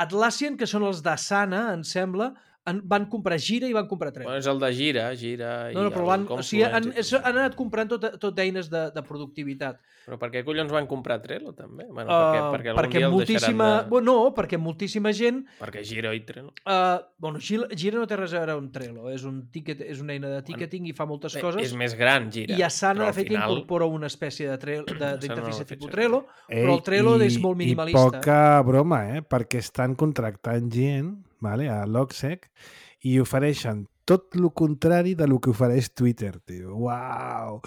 Speaker 4: Atlassian, que són els d'Asana, em sembla, en, van comprar Gira i van comprar Trello.
Speaker 3: Bueno, és el de Gira, Gira i
Speaker 4: no, no, però van,
Speaker 3: el
Speaker 4: o sigui, han, han anat comprant tot, tot eines de, de productivitat.
Speaker 3: Però per què collons van comprar Trello, també? Bueno,
Speaker 4: uh,
Speaker 3: perquè, perquè algun
Speaker 4: perquè
Speaker 3: dia el
Speaker 4: moltíssima...
Speaker 3: deixaran de...
Speaker 4: Bueno, no, perquè moltíssima gent...
Speaker 3: Perquè Gira i Trello.
Speaker 4: Uh, bueno, Gira, Gira no té res a veure amb Trello, és, un ticket, és una eina de ticketing bueno, i fa moltes
Speaker 3: bé,
Speaker 4: coses.
Speaker 3: És més gran, Gira.
Speaker 4: I Asana, de fet, final... incorpora una espècie d'interfície no tipus Trello, Ei, però el Trello
Speaker 2: i,
Speaker 4: és molt minimalista.
Speaker 2: I poca broma, eh? Perquè estan contractant gent, vale, a LogSec, i ofereixen tot el contrari de lo que ofereix Twitter, tio. Uau!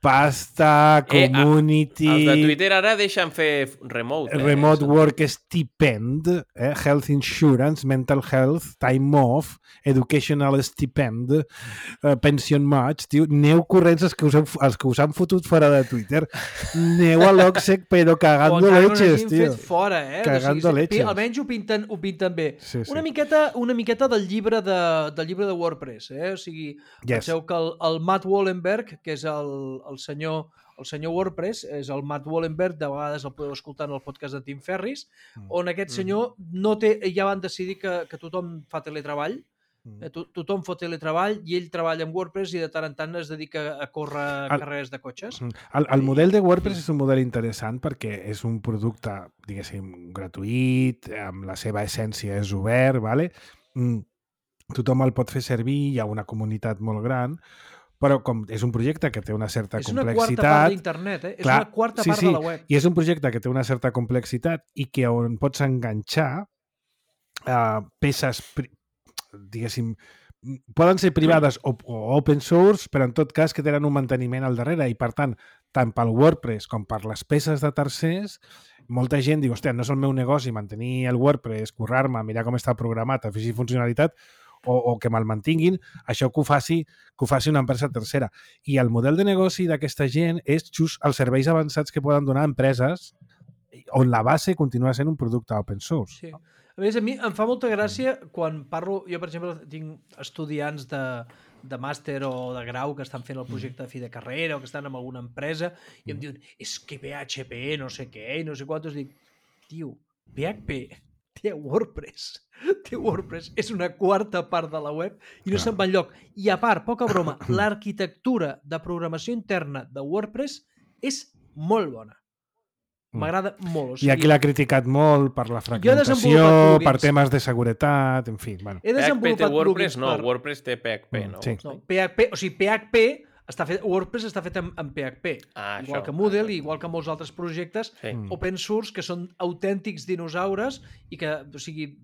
Speaker 2: Pasta, community...
Speaker 3: Eh, els de Twitter ara deixen fer remote. Eh?
Speaker 2: Remote work stipend, eh? Health insurance, mental health, time off, educational stipend, uh, pension match, tio. Aneu corrents els que, us han, els que us han fotut fora de Twitter. Aneu a l'Oxec, però cagando leches, tio.
Speaker 4: Fet fora, eh?
Speaker 2: Cagando o sigui, leches.
Speaker 4: Almenys ho pinten, ho pinten bé.
Speaker 2: Sí, sí.
Speaker 4: Una miqueta, una miqueta del llibre de, del llibre de WordPress, eh? O sigui, yes. Penseu que el, el Matt Wallenberg, que és el, el senyor el senyor WordPress, és el Matt Wallenberg, de vegades el podeu escoltar en el podcast de Tim Ferriss, mm. on aquest senyor no té, ja van decidir que, que tothom fa teletreball, mm. eh, to, tothom fa teletreball i ell treballa amb WordPress i de tant en tant es dedica a córrer el, carreres de cotxes.
Speaker 2: El, el model de WordPress és un model interessant perquè és un producte, diguéssim, gratuït, amb la seva essència és obert, vale? Mm. Tothom el pot fer servir, hi ha una comunitat molt gran, però com és un projecte que té una certa
Speaker 4: és
Speaker 2: complexitat...
Speaker 4: És una quarta part d'internet, eh? És clar, una quarta
Speaker 2: sí,
Speaker 4: part
Speaker 2: sí,
Speaker 4: de la web.
Speaker 2: I és un projecte que té una certa complexitat i que on pots enganxar uh, peces, diguéssim, poden ser privades o, o open source, però en tot cas que tenen un manteniment al darrere i, per tant, tant pel WordPress com per les peces de tercers, molta gent diu, hòstia, no és el meu negoci mantenir el WordPress, currar-me, mirar com està programat, afegir funcionalitat, o, o que me'l mantinguin, això que ho, faci, que ho faci una empresa tercera. I el model de negoci d'aquesta gent és just els serveis avançats que poden donar empreses on la base continua sent un producte open source.
Speaker 4: Sí. A més, a mi em fa molta gràcia quan parlo... Jo, per exemple, tinc estudiants de, de màster o de grau que estan fent el projecte de fi de carrera o que estan en alguna empresa i em diuen, és que P H P no sé què i no sé quantos. Dic, tio, P H P té WordPress. Té WordPress. És una quarta part de la web i no se'n va enlloc. I a part, poca broma, l'arquitectura de programació interna de WordPress és molt bona. M'agrada molt. O
Speaker 2: I aquí l'ha criticat molt per la fragmentació,
Speaker 4: desenvolupat
Speaker 2: per
Speaker 4: plugins.
Speaker 2: temes de seguretat, en fi. Bueno.
Speaker 4: He
Speaker 3: P H P té
Speaker 4: desenvolupat
Speaker 3: WordPress?
Speaker 4: plugins
Speaker 3: No,
Speaker 4: per...
Speaker 3: WordPress té P H P, no?
Speaker 2: Sí.
Speaker 4: No, P H P, o sigui, P H P està fet, WordPress està fet en, en P H P,
Speaker 3: Ah,
Speaker 4: igual
Speaker 3: això.
Speaker 4: que Moodle,
Speaker 3: Ah,
Speaker 4: igual que molts altres projectes
Speaker 3: Sí.
Speaker 4: open source que són autèntics dinosaures i que, o sigui,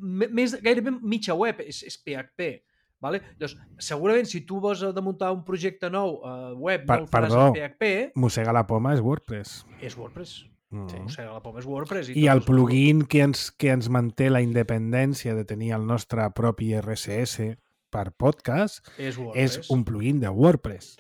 Speaker 4: m- més, gairebé mitja web és, és P H P. Vale? Llavors, segurament si tu vas de muntar un projecte nou uh, web,
Speaker 2: Per-
Speaker 4: no el faràs
Speaker 2: perdó.
Speaker 4: en P H P,
Speaker 2: Mossega la poma és WordPress.
Speaker 4: és WordPress.
Speaker 2: Mm.
Speaker 4: O sigui, la poma és WordPress.
Speaker 2: I el
Speaker 4: tot és-
Speaker 2: plugin que ens, que ens manté la independència de tenir el nostre propi R S S per podcast
Speaker 4: és, WordPress.
Speaker 2: és un plugin de WordPress.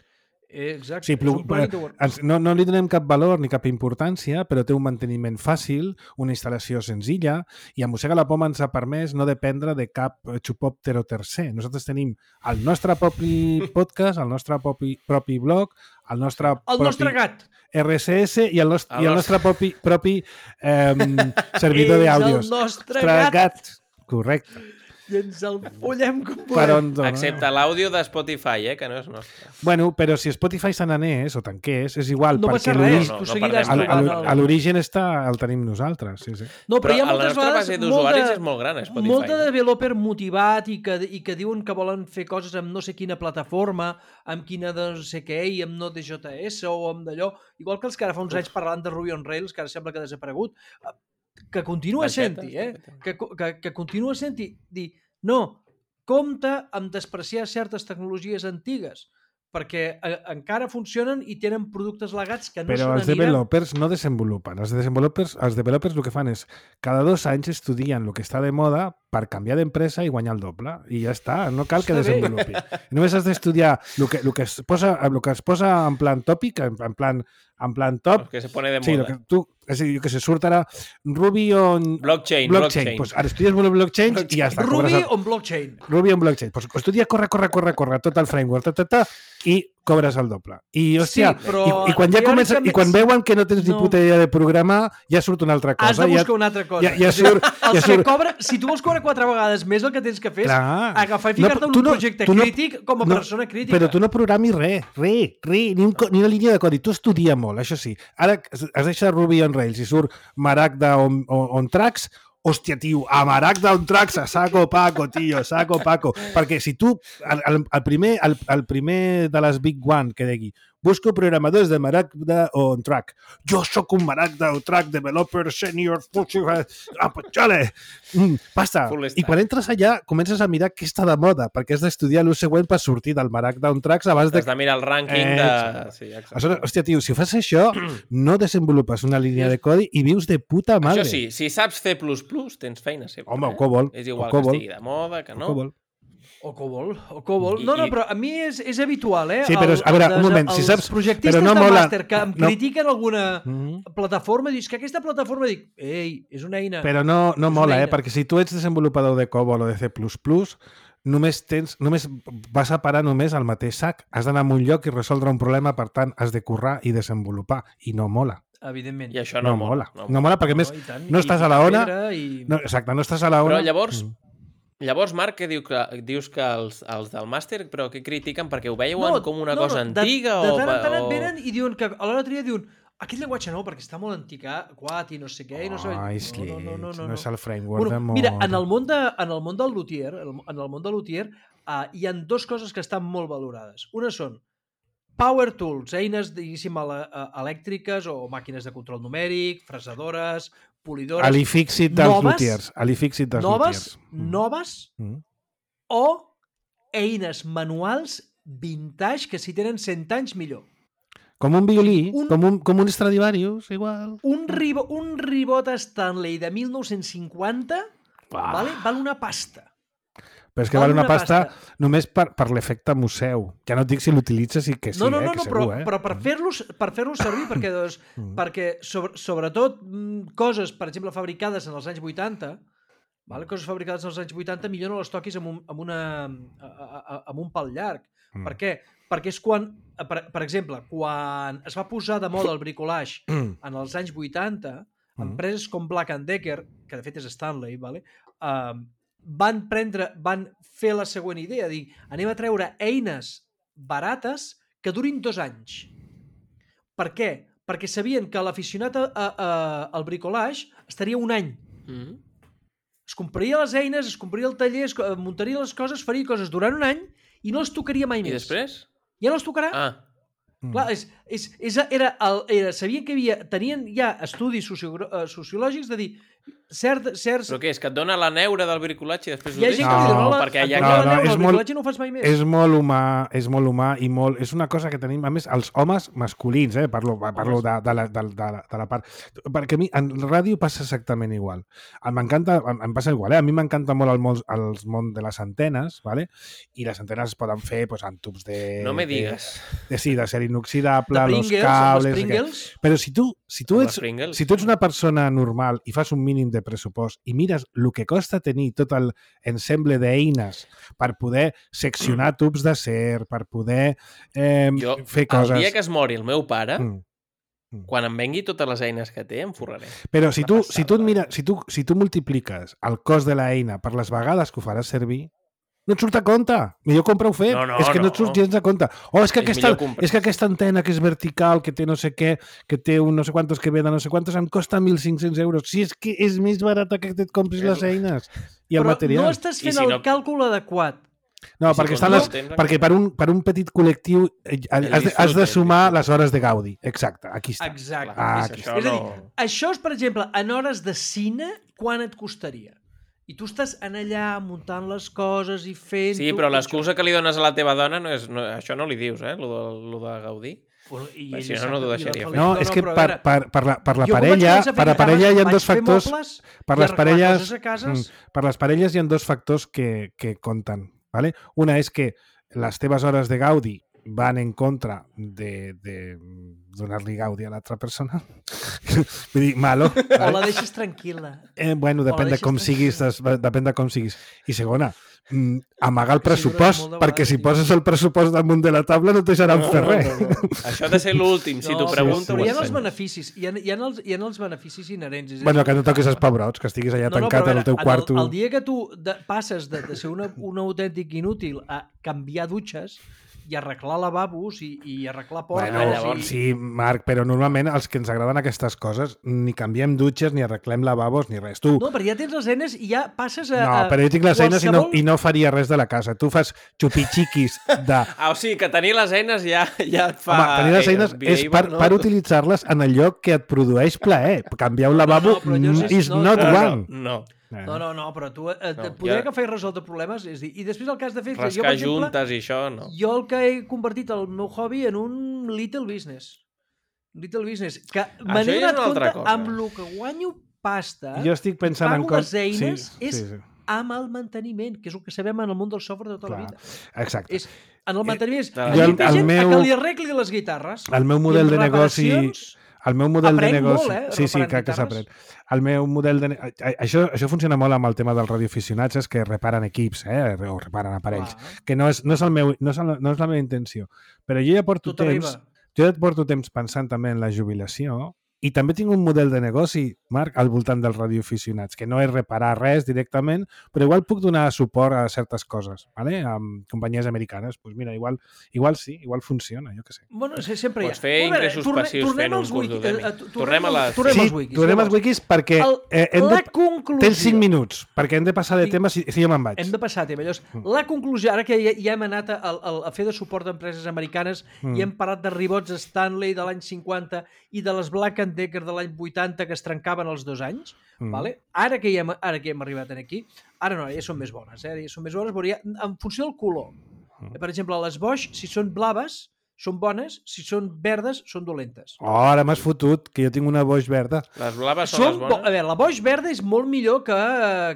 Speaker 4: Exacte,
Speaker 2: Sí,
Speaker 4: és un plugin de WordPress.
Speaker 2: ens, no, no li donem cap valor ni cap importància, però té un manteniment fàcil, una instal·lació senzilla, i a Mossega la Poma ens ha permès no dependre de cap xupòptero tercer. Nosaltres tenim el nostre propi podcast, el nostre propi, propi blog, el nostre
Speaker 4: El
Speaker 2: propi
Speaker 4: nostre gat.
Speaker 2: R S S i el, nostre,
Speaker 3: El
Speaker 2: i el nostre propi, propi eh, servidor
Speaker 4: És
Speaker 2: d'àudios.
Speaker 4: el nostre
Speaker 2: Nostre
Speaker 4: gat.
Speaker 2: gat. Correcte.
Speaker 4: I ens el follem com
Speaker 2: Per
Speaker 4: podem.
Speaker 2: on dona.
Speaker 3: Excepte l'àudio de Spotify, eh, que no és nostre.
Speaker 2: Bueno, però si Spotify se n'anés o tanqués, és igual,
Speaker 4: No
Speaker 2: perquè
Speaker 4: passa
Speaker 2: l'ori-
Speaker 4: res,
Speaker 3: no,
Speaker 4: tu
Speaker 3: no
Speaker 4: seguiràs
Speaker 3: perdem
Speaker 2: a
Speaker 3: res.
Speaker 4: trobant
Speaker 2: a
Speaker 4: el...
Speaker 2: l'origen està, el tenim nosaltres. Sí, sí.
Speaker 4: No, però,
Speaker 3: Però
Speaker 4: hi ha
Speaker 3: la
Speaker 4: moltes
Speaker 3: nostra
Speaker 4: vegades
Speaker 3: base d'usuaris
Speaker 4: molt de-
Speaker 3: és molt gran, a Spotify.
Speaker 4: Molt de
Speaker 3: no?
Speaker 4: developer motivat i que, i que diuen que volen fer coses amb no sé quina plataforma, amb quina de no sé què, i amb Node.js o amb d'allò, igual que els que ara fa uns anys parlaven de Ruby on Rails, que ara sembla que ha desaparegut, que continua
Speaker 3: Banquetes,
Speaker 4: sent-hi, eh?
Speaker 3: banquetes.
Speaker 4: Que, que, que continua sent-hi, dir, no, compte amb despreciar certes tecnologies antigues, perquè eh, encara funcionen i tenen productes legats que no
Speaker 2: Però
Speaker 4: se
Speaker 2: els
Speaker 4: n'aniran.
Speaker 2: developers no desenvolupen. Els developers, els developers el que fan és cada dos anys estudien el que està de moda per canviar d'empresa i guanyar el doble. I ja està, no cal que
Speaker 4: Està bé.
Speaker 2: desenvolupi. Només has d'estudiar el que, el, que es posa, el que es posa en plan tòpic, en, en plan, en plan top.
Speaker 3: Que se pone de
Speaker 2: Sí,
Speaker 3: moda.
Speaker 2: lo que tu, és a dir, que se surt ara Ruby on...
Speaker 3: Blockchain,
Speaker 2: blockchain.
Speaker 3: blockchain.
Speaker 2: Pues ara estudies blockchain i ja està.
Speaker 4: Ruby
Speaker 2: cobres el-
Speaker 4: on blockchain.
Speaker 2: Ruby on blockchain. Pues estudia, corre, corre, corre, corre, tot el framework, ta, ta, ta, i cobres el doble. I, hòstia,
Speaker 4: Sí, però
Speaker 2: i, i, quan ja comença, i quan veuen que no tens ni
Speaker 4: no.
Speaker 2: puta idea de programar, ja surt una altra cosa.
Speaker 4: Has de buscar
Speaker 2: ja,
Speaker 4: una altra cosa.
Speaker 2: ja, ja surt...
Speaker 4: Els
Speaker 2: ja
Speaker 4: que
Speaker 2: surt
Speaker 4: cobren, si tu vols cobrar quatre vegades més, el que tens que fer és
Speaker 2: Clar.
Speaker 4: agafar i
Speaker 2: No,
Speaker 4: ficar-te en
Speaker 2: tu
Speaker 4: un
Speaker 2: no-
Speaker 4: projecte
Speaker 2: tu no-
Speaker 4: crític com a
Speaker 2: no,
Speaker 4: persona crítica.
Speaker 2: Però tu no programis res, res, res, ni, un, co- ni una línia de codi. Tu estudia molt, això sí. Ara has deixat Ruby on Rails i surt Maragda on, on, on Tracks, hòstia, tio, a Maragda on Tracks, a saco paco, tio, saco paco. Perquè si tu, el, el, el, primer, el, el primer de les Big One que digui busco programadors de Maragda on Track. Jo sóc un Maragda on Track developer senior, ah, pues xale! Mm, basta.
Speaker 3: Full
Speaker 2: I
Speaker 3: stack.
Speaker 2: quan entres allà comences a mirar què està de moda, perquè has d'estudiar l'ús següent per sortir del Maragda on Tracks abans de...
Speaker 3: Has de mirar el rànquing
Speaker 2: Eh,
Speaker 3: de... Sí, exacte.
Speaker 2: Aleshores, hòstia, tio, si fas això, no desenvolupes una línia de codi i vius de puta madre.
Speaker 3: Això sí, si saps C plus plus, tens feina sempre.
Speaker 2: Home, o
Speaker 3: eh?
Speaker 2: COBOL,
Speaker 3: És
Speaker 2: o
Speaker 3: igual
Speaker 2: COBOL.
Speaker 3: que estigui de moda, que no.
Speaker 2: COBOL.
Speaker 4: O COBOL, o COBOL.
Speaker 3: I-
Speaker 4: No, no,
Speaker 3: i-
Speaker 4: però a mi és, és habitual, eh?
Speaker 2: Sí, però,
Speaker 4: El-
Speaker 2: a veure,
Speaker 4: els-
Speaker 2: un moment, si
Speaker 4: els
Speaker 2: saps-
Speaker 4: projectistes
Speaker 2: però no
Speaker 4: de
Speaker 2: mola-
Speaker 4: màster que em
Speaker 2: no.
Speaker 4: critiquen alguna
Speaker 2: Mhm.
Speaker 4: plataforma, dius que aquesta plataforma, dic, ei, és una eina.
Speaker 2: Però no, no
Speaker 4: És una
Speaker 2: mola, eh?
Speaker 4: eina.
Speaker 2: Perquè si tu ets desenvolupador de COBOL o de C plus plus, només tens, només vas a parar només al mateix sac. Has d'anar a un lloc i resoldre un problema, per tant, has de currar i desenvolupar. I no mola.
Speaker 4: Evidentment.
Speaker 3: I això
Speaker 2: No,
Speaker 3: no,
Speaker 2: mola.
Speaker 3: No,
Speaker 2: No mola perquè, a més,
Speaker 4: i tant,
Speaker 2: no
Speaker 4: i
Speaker 2: estàs a
Speaker 4: picar
Speaker 2: la ona...
Speaker 4: pedra I...
Speaker 2: No, exacte, no estàs a la ona...
Speaker 3: Però llavors,
Speaker 2: Mm.
Speaker 3: llavors Marc, que diu que, dius que els, els del màster, però que critiquen perquè ho veuen
Speaker 4: No,
Speaker 3: com una
Speaker 4: no,
Speaker 3: cosa
Speaker 4: no, de-
Speaker 3: antiga
Speaker 4: de,
Speaker 3: o...
Speaker 4: tant en tant et
Speaker 3: o...
Speaker 4: venen i diuen que a l'hora tria diuen aquest llenguatge nou perquè està molt antiquat i no sé què i no sé...
Speaker 2: Ai,
Speaker 4: no, no, no, no,
Speaker 2: no és el framework
Speaker 4: Bueno,
Speaker 2: de mod.
Speaker 4: mira, en el món, de, en el món del luthier, en el món de luthier, uh, hi han dues coses que estan molt valorades. Una són power tools, eines, diguéssim, ele- eh, elèctriques o màquines de control numèric, fresadores, polidores...
Speaker 2: Alifixit dels
Speaker 4: noves,
Speaker 2: lutiers. Alifixit dels
Speaker 4: noves,
Speaker 2: lutiers. Mm.
Speaker 4: noves
Speaker 2: Mm.
Speaker 4: o eines manuals vintage que si tenen cent anys millor.
Speaker 2: Com un violí,
Speaker 4: Un-
Speaker 2: com, un, com un Stradivarius, igual.
Speaker 4: Un, ribo, un ribot Stanley de mil nou-cents cinquanta vale, val una pasta.
Speaker 2: Però és que
Speaker 4: Val
Speaker 2: val una
Speaker 4: una
Speaker 2: pasta,
Speaker 4: pasta.
Speaker 2: només per, per l'efecte museu. Ja no et dic si l'utilitzes i que sí,
Speaker 4: no, no,
Speaker 2: eh,
Speaker 4: no,
Speaker 2: que
Speaker 4: no
Speaker 2: segur,
Speaker 4: però,
Speaker 2: eh?
Speaker 4: però per fer-los per fer-los servir, perquè, doncs,
Speaker 2: Mm.
Speaker 4: perquè sobre, sobretot mm, coses, per exemple, fabricades en els anys vuitanta, vale? Coses fabricades en els anys vuitanta, millor no les toquis amb un, amb una, a- a- a- amb un pal llarg.
Speaker 2: Mm.
Speaker 4: Per què? Perquè és quan, per, per exemple, quan es va posar de moda el bricolage
Speaker 2: Mm.
Speaker 4: en els anys vuitanta, empreses com Black and Decker, que de fet és Stanley, vale? uh, van prendre, van fer la següent idea, dir, anem a treure eines barates que durin dos anys. Per què? perquè sabien que l'aficionat a, a, a, al bricolage estaria un any.
Speaker 3: Mm.
Speaker 4: Es compraria les eines, es compraria el taller, es muntaria les coses, faria coses durant un any i no els tocaria mai
Speaker 3: I
Speaker 4: més.
Speaker 3: després?
Speaker 4: Ja no els tocarà.
Speaker 3: Ah,
Speaker 4: Clar, és, és, és, era el, era, sabien que havia, tenien ja estudis socio, uh, sociològics de dir cert, certs...
Speaker 3: però què és? Que et dona la neura del bricolatge i després
Speaker 4: Hi ha
Speaker 3: ho
Speaker 4: gent
Speaker 3: deixes?
Speaker 4: que li
Speaker 2: No,
Speaker 4: dona la...
Speaker 3: perquè hi ha...
Speaker 2: no,
Speaker 4: no,
Speaker 2: no,
Speaker 4: no,
Speaker 2: és
Speaker 4: el
Speaker 2: molt-
Speaker 4: bricolatge no ho fas mai més.
Speaker 2: És molt humà, és molt humà i molt... És una cosa que tenim, a més, els homes masculins, eh? Parlo, parlo de, de, la, de, de, la, de la part... Perquè a mi, en ràdio passa exactament igual. M'encanta, em, em passa igual, eh? A mi m'encanta molt el món, el món de les antenes, ¿vale? I les antenes es poden fer pues, en tubs de...
Speaker 3: No me digues.
Speaker 2: De, de, sí, de ser inoxidable,
Speaker 4: De
Speaker 2: los
Speaker 4: Pringles, amb
Speaker 2: cables...
Speaker 4: els
Speaker 2: que-
Speaker 4: Pringles.
Speaker 2: Però si tu, si, tu
Speaker 3: Amb
Speaker 2: ets,
Speaker 3: les Pringles.
Speaker 2: si tu ets una persona normal i fas un mínim de pressupost i mires el que costa tenir tot el ensemble d'eines per poder seccionar tubs d'acer, per poder eh,
Speaker 3: Jo,
Speaker 2: fer
Speaker 3: el
Speaker 2: coses...
Speaker 3: dia que es mori el meu pare,
Speaker 2: Mm.
Speaker 3: quan em vengui totes les eines que té, em forraré.
Speaker 2: Però si
Speaker 3: Una
Speaker 2: tu,
Speaker 3: passada.
Speaker 2: si, tu et mira, si, tu, si tu multipliques el cost de l'eina per les vegades que ho faràs servir, no et surt a compte. Millor compra-ho fet.
Speaker 3: No, no,
Speaker 2: és que no,
Speaker 3: no.
Speaker 2: et surt gens a compte. O és que,
Speaker 3: És
Speaker 2: aquesta,
Speaker 3: millor comprar.
Speaker 2: és que aquesta antena que és vertical, que té no sé què, que té un no sé quantos que ve de no sé quantos, em costa mil cinc-cents euros. Si és que és més barata que et compris les eines i el
Speaker 4: Però
Speaker 2: material.
Speaker 4: no estàs
Speaker 3: I
Speaker 4: fent
Speaker 3: si
Speaker 4: el
Speaker 3: no-
Speaker 4: càlcul adequat.
Speaker 2: No,
Speaker 3: I si
Speaker 2: perquè,
Speaker 3: com
Speaker 2: estan
Speaker 3: no
Speaker 2: les,
Speaker 3: tens,
Speaker 2: perquè per un, per un petit col·lectiu eh, has, de, has de
Speaker 3: disfrute,
Speaker 2: sumar
Speaker 3: el
Speaker 2: les hores de Gaudi. Exacte, aquí està.
Speaker 4: Exacte.
Speaker 2: Ah,
Speaker 3: És
Speaker 2: aquí
Speaker 3: això
Speaker 4: És a
Speaker 3: no...
Speaker 4: dir, això és, per exemple, en hores de cine, quan et costaria? I tu estàs en allà muntant les coses i fent...
Speaker 3: Sí, però l'excusa que li dones a la teva dona no és... No, això no li dius, eh? Lo de, lo de Gaudí.
Speaker 4: I
Speaker 3: Però si
Speaker 4: ella
Speaker 3: no, no
Speaker 4: sap-
Speaker 3: t'ho
Speaker 4: i la
Speaker 3: deixaria
Speaker 4: Feliç-
Speaker 3: fer.
Speaker 2: No,
Speaker 4: no,
Speaker 2: és
Speaker 4: no,
Speaker 2: que
Speaker 4: però a
Speaker 2: per,
Speaker 4: veure,
Speaker 2: per, per, la, per la
Speaker 4: jo quan vaig
Speaker 2: parella,
Speaker 4: començar a fer
Speaker 2: per la parella hi ha
Speaker 4: guitarres,
Speaker 2: dos
Speaker 4: vaig fer
Speaker 2: factors...
Speaker 4: mobles
Speaker 2: Per
Speaker 4: i
Speaker 2: les
Speaker 4: arreglar
Speaker 2: parelles,
Speaker 4: coses a cases.
Speaker 2: mm, per les parelles hi ha dos factors que, que compten. ¿Vale? Una és que les teves hores de Gaudi van en contra de, de donar-li Gaudi a l'altra persona. Vull dir, malo.
Speaker 4: O la deixes tranquil·la.
Speaker 2: Eh, bueno, depèn de
Speaker 4: deixes
Speaker 2: com
Speaker 4: tranquil·la.
Speaker 2: siguis, des- depèn de com siguis. I segona, mm, amagar el
Speaker 4: Que si dures
Speaker 2: pressupost,
Speaker 4: molt de
Speaker 2: perquè
Speaker 4: vegades,
Speaker 2: si
Speaker 4: tio.
Speaker 2: poses el pressupost damunt de la taula no et deixaran
Speaker 3: No,
Speaker 2: fer
Speaker 3: no,
Speaker 2: res.
Speaker 3: no, no. Això ha de ser l'últim. Si t'ho
Speaker 4: però-
Speaker 3: pregunto,
Speaker 4: però
Speaker 3: ho
Speaker 4: hi ha els
Speaker 3: ensenyo.
Speaker 4: beneficis, hi ha, hi ha, els, hi ha els beneficis inherents. És a
Speaker 2: Bueno,
Speaker 4: dir,
Speaker 2: que no toquis els pebrots, que estiguis allà
Speaker 4: no, no,
Speaker 2: tancat
Speaker 4: però a
Speaker 2: en el teu
Speaker 4: veure,
Speaker 2: quarto.
Speaker 4: El, el dia que tu de, passes de, de ser una, un autèntic inútil a canviar dutxes i arreglar lavabos i, i arreglar portes...
Speaker 2: Bueno,
Speaker 3: llavors,
Speaker 4: i...
Speaker 2: sí, Marc, però normalment els que ens agraden aquestes coses ni canviem dutxes, ni arreglem lavabos, ni res. Tu,
Speaker 4: No, perquè ja tens les eines i ja passes a...
Speaker 2: no,
Speaker 4: a
Speaker 2: però jo tinc les eines i no,
Speaker 4: qualsevol-
Speaker 2: i no faria res de la casa. Tu fas xupixiquis de...
Speaker 3: Ah, o sigui, que tenir les eines ja, ja et fa...
Speaker 2: Home, tenir les
Speaker 3: eh,
Speaker 2: eines
Speaker 3: vida
Speaker 2: és
Speaker 3: i
Speaker 2: per,
Speaker 3: no?
Speaker 2: per utilitzar-les en el lloc que et produeix plaer. Canviar un
Speaker 4: No, no,
Speaker 2: lavabo
Speaker 4: però allò
Speaker 2: mm,
Speaker 4: és-
Speaker 2: is
Speaker 4: no,
Speaker 2: not
Speaker 3: no,
Speaker 2: wrong.
Speaker 3: no, no.
Speaker 4: No, no, no, però tu eh,
Speaker 3: No,
Speaker 4: poder
Speaker 3: ja-
Speaker 4: agafar i resoldre problemes, és dir, i després el que has de fer és... que jo,
Speaker 3: Rascar
Speaker 4: per exemple,
Speaker 3: juntes i això, no.
Speaker 4: jo el que he convertit el meu hobby en un little business. Little business. Que me
Speaker 3: Això
Speaker 4: n'he
Speaker 3: ja és
Speaker 4: donat
Speaker 3: una altra
Speaker 4: compte
Speaker 3: cosa.
Speaker 4: amb el que guanyo pasta,
Speaker 2: Jo estic pensant en
Speaker 4: pago
Speaker 2: cos...
Speaker 4: les eines,
Speaker 2: sí,
Speaker 4: és
Speaker 2: sí, sí.
Speaker 4: amb el manteniment, que és el que sabem en el món del software de tota
Speaker 2: Clar.
Speaker 4: la vida.
Speaker 2: Exacte.
Speaker 4: És en el manteniment.
Speaker 3: Jo
Speaker 4: Jo
Speaker 3: el-
Speaker 4: el,
Speaker 2: el
Speaker 4: gent
Speaker 2: meu-
Speaker 4: a que li arregli les guitarres.
Speaker 2: El meu
Speaker 4: I
Speaker 2: model
Speaker 4: en
Speaker 2: de negoci...
Speaker 4: reparacions,
Speaker 2: El meu model
Speaker 4: Aprenc
Speaker 2: de negoci...
Speaker 4: molt, eh,
Speaker 2: sí, sí,
Speaker 4: reparant
Speaker 2: que, que
Speaker 4: guitarres.
Speaker 2: s'aprèn. El meu model de... ne- a- Això, això funciona molt amb el tema dels radioaficionats, és que reparen equips, eh? o reparen aparells.
Speaker 4: Clar.
Speaker 2: Que no és, no, és el meu, no, és el, no és la meva intenció. Però jo ja porto
Speaker 4: Tot
Speaker 2: temps...
Speaker 4: arriba.
Speaker 2: Jo ja porto temps pensant també en la jubilació i també tinc un model de negoci, Marc, al voltant dels radioaficionats, que no és reparar res directament, però igual puc donar suport a certes coses, ¿vale? Amb companyies americanes. Pues mira, igual, igual sí, igual funciona, jo què sé.
Speaker 4: Bueno, sí, sempre hi ha.
Speaker 3: Pots fer
Speaker 4: A veure,
Speaker 3: ingressos
Speaker 4: torne-
Speaker 3: passius
Speaker 4: tornem
Speaker 3: fent un
Speaker 4: als
Speaker 3: curs
Speaker 4: wiki-
Speaker 3: d'Udemy.
Speaker 4: eh, eh,
Speaker 3: Tornem a les-
Speaker 4: Tornem
Speaker 2: sí,
Speaker 4: als wikis.
Speaker 2: tornem als
Speaker 4: llavors.
Speaker 2: wikis perquè
Speaker 4: El,
Speaker 2: eh, hem
Speaker 4: la
Speaker 2: de...
Speaker 4: conclusió...
Speaker 2: Tens cinc minuts, perquè hem de passar de
Speaker 4: Tinc-
Speaker 2: tema si, si jo me'n vaig.
Speaker 4: Hem de passar a tema. Llavors, la conclusió, ara que ja, ja hem anat a, a, a fer de suport d'empreses americanes
Speaker 2: Mm.
Speaker 4: i hem parlat de ribots Stanley de l'any cinquanta i de les Black and Decker de l'any vuitanta que es trencaven els dos anys,
Speaker 2: Mm.
Speaker 4: vale? ara, que ja hem, ara que hem arribat aquí, ara no, ja són més bones, eh? ja són més bones, però ja, en funció del color.
Speaker 2: Mm.
Speaker 4: Per exemple, les Bosch, si són blaves, són bones, si són verdes, són dolentes.
Speaker 2: Oh, ara m'has fotut, que jo tinc una Bosch verda.
Speaker 3: Les blaves són,
Speaker 4: Són
Speaker 3: les
Speaker 4: bo...
Speaker 3: bones?
Speaker 4: A veure, la Bosch verda és molt millor que,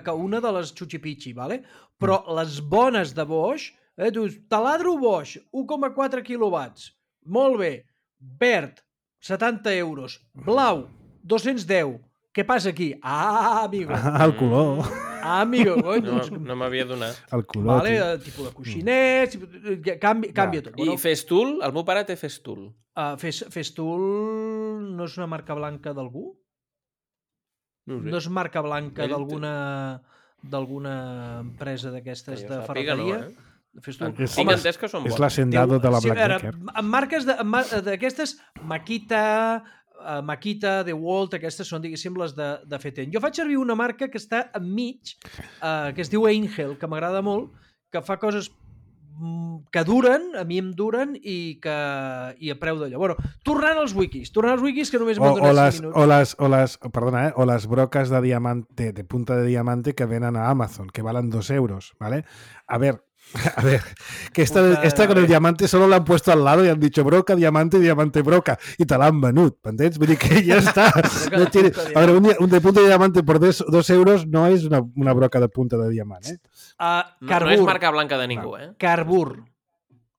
Speaker 4: que una de les Chuchipichi, vale? Però
Speaker 2: Mm.
Speaker 4: les bones de Bosch, eh, dius, taladro Bosch, u coma quatre quilowatts, molt bé, verd, setanta euros, blau, dos-cents deu, què passa aquí? Ah, amigo,
Speaker 2: Ah, el color.
Speaker 4: ah, amigo, coi,
Speaker 3: No,
Speaker 4: doncs,
Speaker 3: no m'havia donat.
Speaker 2: El color.
Speaker 4: vale,
Speaker 2: tio.
Speaker 4: eh, tipus de coixinets, tipus- canvi, canvia tot.
Speaker 3: I Festool? El meu pare té Festool.
Speaker 4: Uh, Fes, Festool no és una marca blanca d'algú?
Speaker 3: No ho sé.
Speaker 4: No és marca blanca
Speaker 3: Ell té-
Speaker 4: d'alguna d'alguna empresa d'aquestes
Speaker 3: Que
Speaker 4: de
Speaker 3: jo sàpiga, no,
Speaker 4: ferreteria?
Speaker 3: eh?
Speaker 4: Festool.
Speaker 2: És-
Speaker 3: Tinc
Speaker 2: Home,
Speaker 3: entès que són
Speaker 2: És
Speaker 3: bones.
Speaker 2: l'hacendado de la
Speaker 4: Sí, a veure,
Speaker 2: Blackdecker.
Speaker 4: amb marques de- amb mar- d'aquestes, Makita, uh, Makita, DeWalt, aquestes són, diguéssim, les de, de Feten. Jo faig servir una marca que està enmig, uh, que es diu Angel, que m'agrada molt, que fa coses que duren, a mi em duren i que i a preu d'allò. Bueno, tornant als wikis, tornant als wikis que només m'han
Speaker 2: O, o,
Speaker 4: donat
Speaker 2: les,
Speaker 4: cinc
Speaker 2: o,
Speaker 4: minuts.
Speaker 2: les, o, les, perdona, eh? o les broques de diamante, de punta de diamante que venen a Amazon, que valen dos euros, ¿vale? A ver, a ver, que esta,
Speaker 4: Puta,
Speaker 2: esta con
Speaker 4: a
Speaker 2: el
Speaker 4: ver.
Speaker 2: diamante solo la han puesto al lado y han dicho broca, diamante, diamante, broca, y te la han venut, ¿entendés? Vull dir que ya está.
Speaker 4: Broca
Speaker 2: No
Speaker 4: de
Speaker 2: tiene...
Speaker 4: punta de
Speaker 2: A ver, un, di- un de punta de diamante por dos, dos euros no es una, una broca de punta de diamante, ¿eh?
Speaker 4: Uh,
Speaker 3: No,
Speaker 4: Carbur,
Speaker 3: no és marca blanca de ningú, eh?
Speaker 4: Carbur.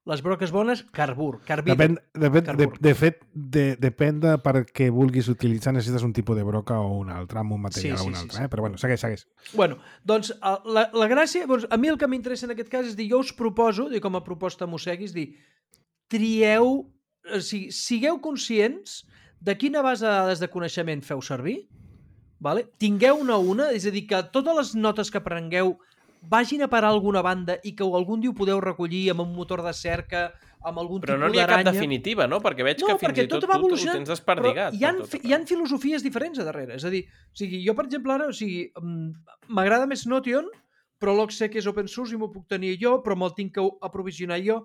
Speaker 4: Les broques bones, Carbur. Carbide.
Speaker 2: Depèn, depèn, de,
Speaker 4: Carbur.
Speaker 2: de fet, de, depèn de per què vulguis utilitzar, necessites un tipus de broca o un altre, amb un material
Speaker 4: Sí, sí,
Speaker 2: o un
Speaker 4: sí,
Speaker 2: altre.
Speaker 4: sí.
Speaker 2: Eh? Però bueno, segueix, segueix.
Speaker 4: Bueno, doncs eh, la, la gràcia... Doncs, a mi el que m'interessa en aquest cas és dir, jo us proposo, dir, com a proposta mosseguis, dir, trieu... O sigui, sigueu conscients de quina base de dades de coneixement feu servir, vale? Tingueu-ne una, és a dir, que totes les notes que prengueu vagin a parar a alguna banda i que algun dia ho podeu recollir amb un motor de cerca, amb algun
Speaker 3: Però
Speaker 4: tipus
Speaker 3: no n'hi ha cap
Speaker 4: d'aranya.
Speaker 3: definitiva, no? Perquè veig
Speaker 4: No,
Speaker 3: que fins
Speaker 4: perquè
Speaker 3: i tot,
Speaker 4: tot va
Speaker 3: tu ho
Speaker 4: evolucionant,
Speaker 3: tens desperdigat.
Speaker 4: Però hi ha,
Speaker 3: per tot
Speaker 4: hi ha filosofies diferents a darrere. És a dir, o sigui, jo, per exemple, ara, o sigui, mm, m'agrada més Notion, però l'Oxec és open source i m'ho puc tenir jo, però me'l tinc que aprovisionar jo.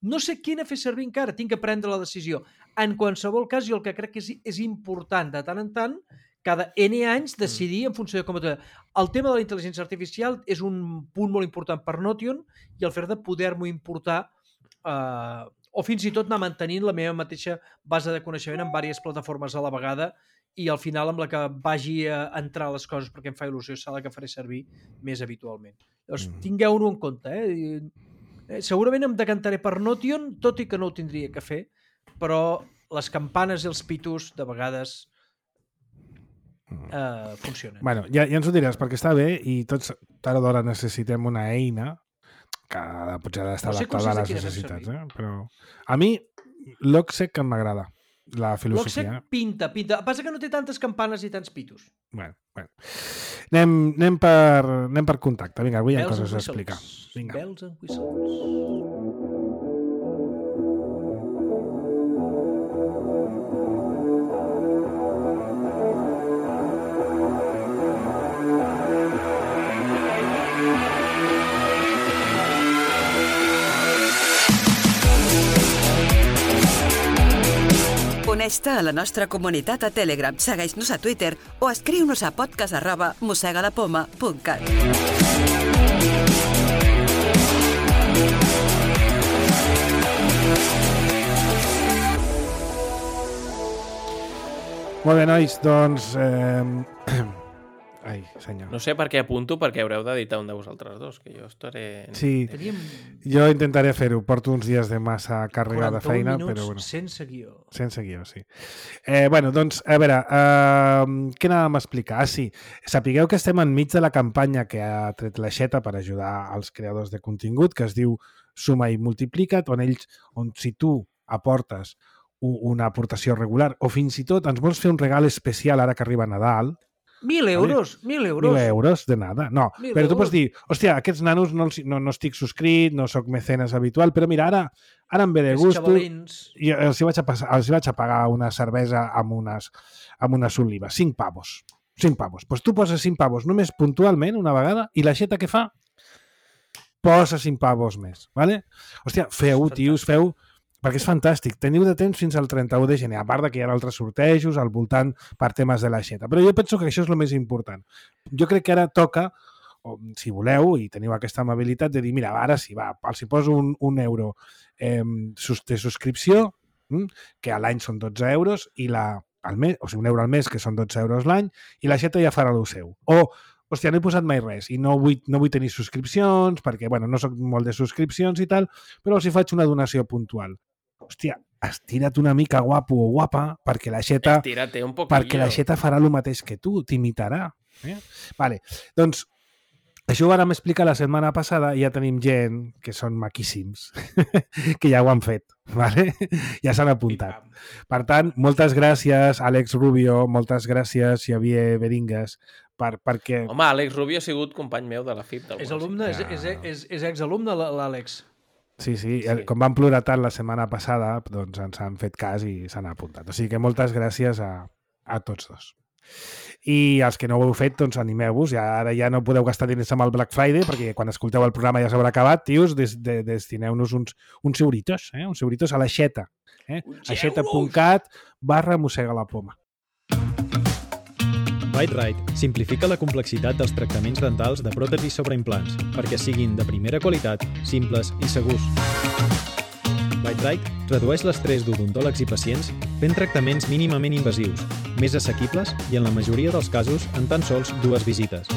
Speaker 4: No sé quina fer servir encara, tinc que prendre la decisió. En qualsevol cas, jo el que crec que és, és important, de tant en tant, cada N anys decidir en funció de com... El tema de la intel·ligència artificial és un punt molt important per Notion i el fet de poder-m'ho importar eh, o fins i tot anar mantenint la meva mateixa base de coneixement en diverses plataformes a la vegada i al final amb la que vagi a entrar les coses perquè em fa il·lusió serà la que faré servir més habitualment. Llavors,
Speaker 2: Mm.
Speaker 4: tingueu-ho en compte. Eh? I, eh, segurament em decantaré per Notion, tot i que no ho tindria que fer, però les campanes i els pitos de vegades Uh, funciona.
Speaker 2: Bueno, ja, ja ens ho diràs, perquè està bé i tots tard o d'hora necessitem una eina que potser ha d'estar
Speaker 4: No sé
Speaker 2: adaptada a
Speaker 4: conscients de
Speaker 2: les
Speaker 4: quina fem
Speaker 2: necessitats.
Speaker 4: servir.
Speaker 2: Eh? Però a mi l'Oxec em m'agrada, la filosofia.
Speaker 4: L'Oxec
Speaker 2: Eh?
Speaker 4: pinta, pinta. Passa que no té tantes campanes i tants pitos.
Speaker 2: Bueno, bueno. Anem, anem, per, anem per contacte. Vinga, avui hi ha
Speaker 4: Bells
Speaker 2: coses
Speaker 4: and
Speaker 2: a explicar.
Speaker 4: whistles.
Speaker 2: Vinga.
Speaker 4: Bells and whistles.
Speaker 5: Uneix-te a la nostra comunitat a Telegram, segueix-nos a Twitter o escriu-nos a podcast arroba mossegadapoma punt cat.
Speaker 2: Molt bé, nois, doncs... Eh... Ai, senyor.
Speaker 3: No sé per què apunto, perquè haureu d'editar un de vosaltres dos, que jo estaré...
Speaker 2: Sí,
Speaker 4: Teníem
Speaker 2: jo intentaré fer-ho. Porto uns dies de massa càrrega de
Speaker 4: quaranta-un
Speaker 2: feina,
Speaker 4: minuts
Speaker 2: però bueno.
Speaker 4: sense guió.
Speaker 2: Sense guió, sí. Eh, bueno, doncs, a veure, eh, què anàvem a explicar? Ah, sí, sapigueu que estem enmig de la campanya que ha tret l'Aixeta per ajudar als creadors de contingut, que es diu Suma i Multiplica't, on ells, on si tu aportes u- una aportació regular, o fins i tot ens vols fer un regal especial ara que arriba Nadal,
Speaker 4: Mil euros, mil euros.
Speaker 2: mil euros de nada. No,
Speaker 4: Mil
Speaker 2: però tu
Speaker 4: euros.
Speaker 2: pots dir, hòstia, aquests nanos no, els- no, no estic subscrit, no sóc mecenes habitual, però mira, ara, ara em ve de
Speaker 4: Els
Speaker 2: gust.
Speaker 4: xavalins.
Speaker 2: I els hi, vaig a passar, els hi vaig a pagar una cervesa amb unes, amb unes olives. Cinc pavos. Cinc pavos. Doncs pues tu poses cinc pavos només puntualment, una vegada, i l'aixeta què fa? Posa cinc pavos més. Vale? Hòstia, feu, tios, feu... Perquè és fantàstic. Teniu de temps fins al trenta-u de gener, a part de que hi ha altres sortejos al voltant per temes de l'aixeta. Però jo penso que això és el més important. Jo crec que ara toca, o, si voleu, i teniu aquesta amabilitat, de dir, mira, ara sí, va, els hi poso un, un euro eh, de subscripció, hm, que a l'any són dotze euros, i la, al mes, o sigui, un euro al mes, que són dotze euros l'any, i l'aixeta ja farà el seu. O, hòstia, no he posat mai res, i no vull, no vull tenir subscripcions, perquè, bueno, no soc molt de subscripcions i tal, però els hi faig una donació puntual. Hòstia, estira't una mica guapo o guapa perquè l'aixeta
Speaker 3: Estírate un poquillo.
Speaker 2: perquè l'aixeta farà el mateix que tu, t'imitarà. Eh? Vale, doncs això ho vam explicar la setmana passada i ja tenim gent que són maquíssims, que ja ho han fet, vale? Ja s'han apuntat. Per tant, moltes gràcies, Àlex Rubio, moltes gràcies, Xavier Beringues, per, perquè...
Speaker 3: Home, Àlex Rubio ha sigut company meu de la F I P.
Speaker 4: És alumne, és, és, és, és exalumne l'Àlex.
Speaker 2: Sí, sí,
Speaker 3: Sí.
Speaker 2: com van plorar tant la setmana passada, doncs ens han fet cas i s'han apuntat. O sigui que moltes gràcies a, a tots dos. I els que no ho heu fet, doncs animeu-vos. Ja, ara ja no podeu gastar diners amb el Black Friday, perquè quan escolteu el programa ja s'haurà acabat, tios, des, de, destineu-nos uns, uns euritos, eh? uns euritos a l'aixeta. Eh? aixeta.cat barra mossega la poma.
Speaker 6: Bite-Rite simplifica la complexitat dels tractaments dentals de pròtesis sobre implants perquè siguin de primera qualitat, simples i segurs. Bite-Rite redueix l'estrès d'odontòlegs i pacients fent tractaments mínimament invasius, més assequibles i en la majoria dels casos en tan sols dues visites.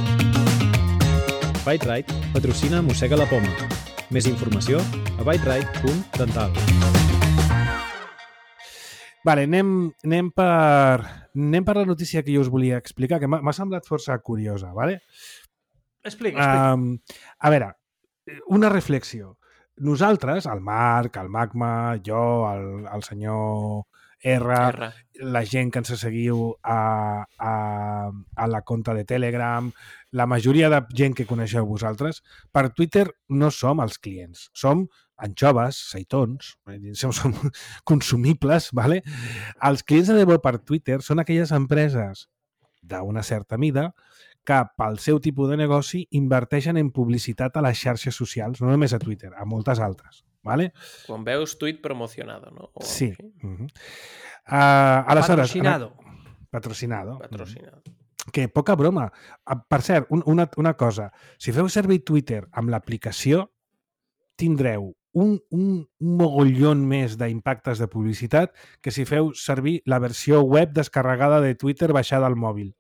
Speaker 6: Bite-Rite patrocina Mossega la Poma. Més informació a bite-rite punt dental.
Speaker 2: Vale, anem, anem, per, anem per la notícia que jo us volia explicar, que m'ha semblat força curiosa. Vale?
Speaker 4: Explica, explica.
Speaker 2: Um, a veure, una reflexió. Nosaltres, el Marc, el Magma, jo, el, el senyor R,
Speaker 3: R,
Speaker 2: la gent que ens seguiu a, a, a la compte de Telegram, la majoria de gent que coneixeu vosaltres, per Twitter no som els clients, som anxoves, seitons, som consumibles, ¿vale? Els clients de debò per Twitter són aquelles empreses d'una certa mida que pel seu tipus de negoci inverteixen en publicitat a les xarxes socials, no només a Twitter, a moltes altres. ¿Vale?
Speaker 3: Quan veus tuit promocionado, no? O
Speaker 2: sí.
Speaker 3: així.
Speaker 2: Uh -huh. uh, aleshores,
Speaker 4: patrocinado.
Speaker 2: Patrocinado.
Speaker 3: Patrocinado.
Speaker 2: Que poca broma. Per cert, un, una, una cosa. Si feu servir Twitter amb l'aplicació, tindreu un, un, un mogollon més d'impactes de publicitat que si feu servir la versió web descarregada de Twitter baixada al mòbil.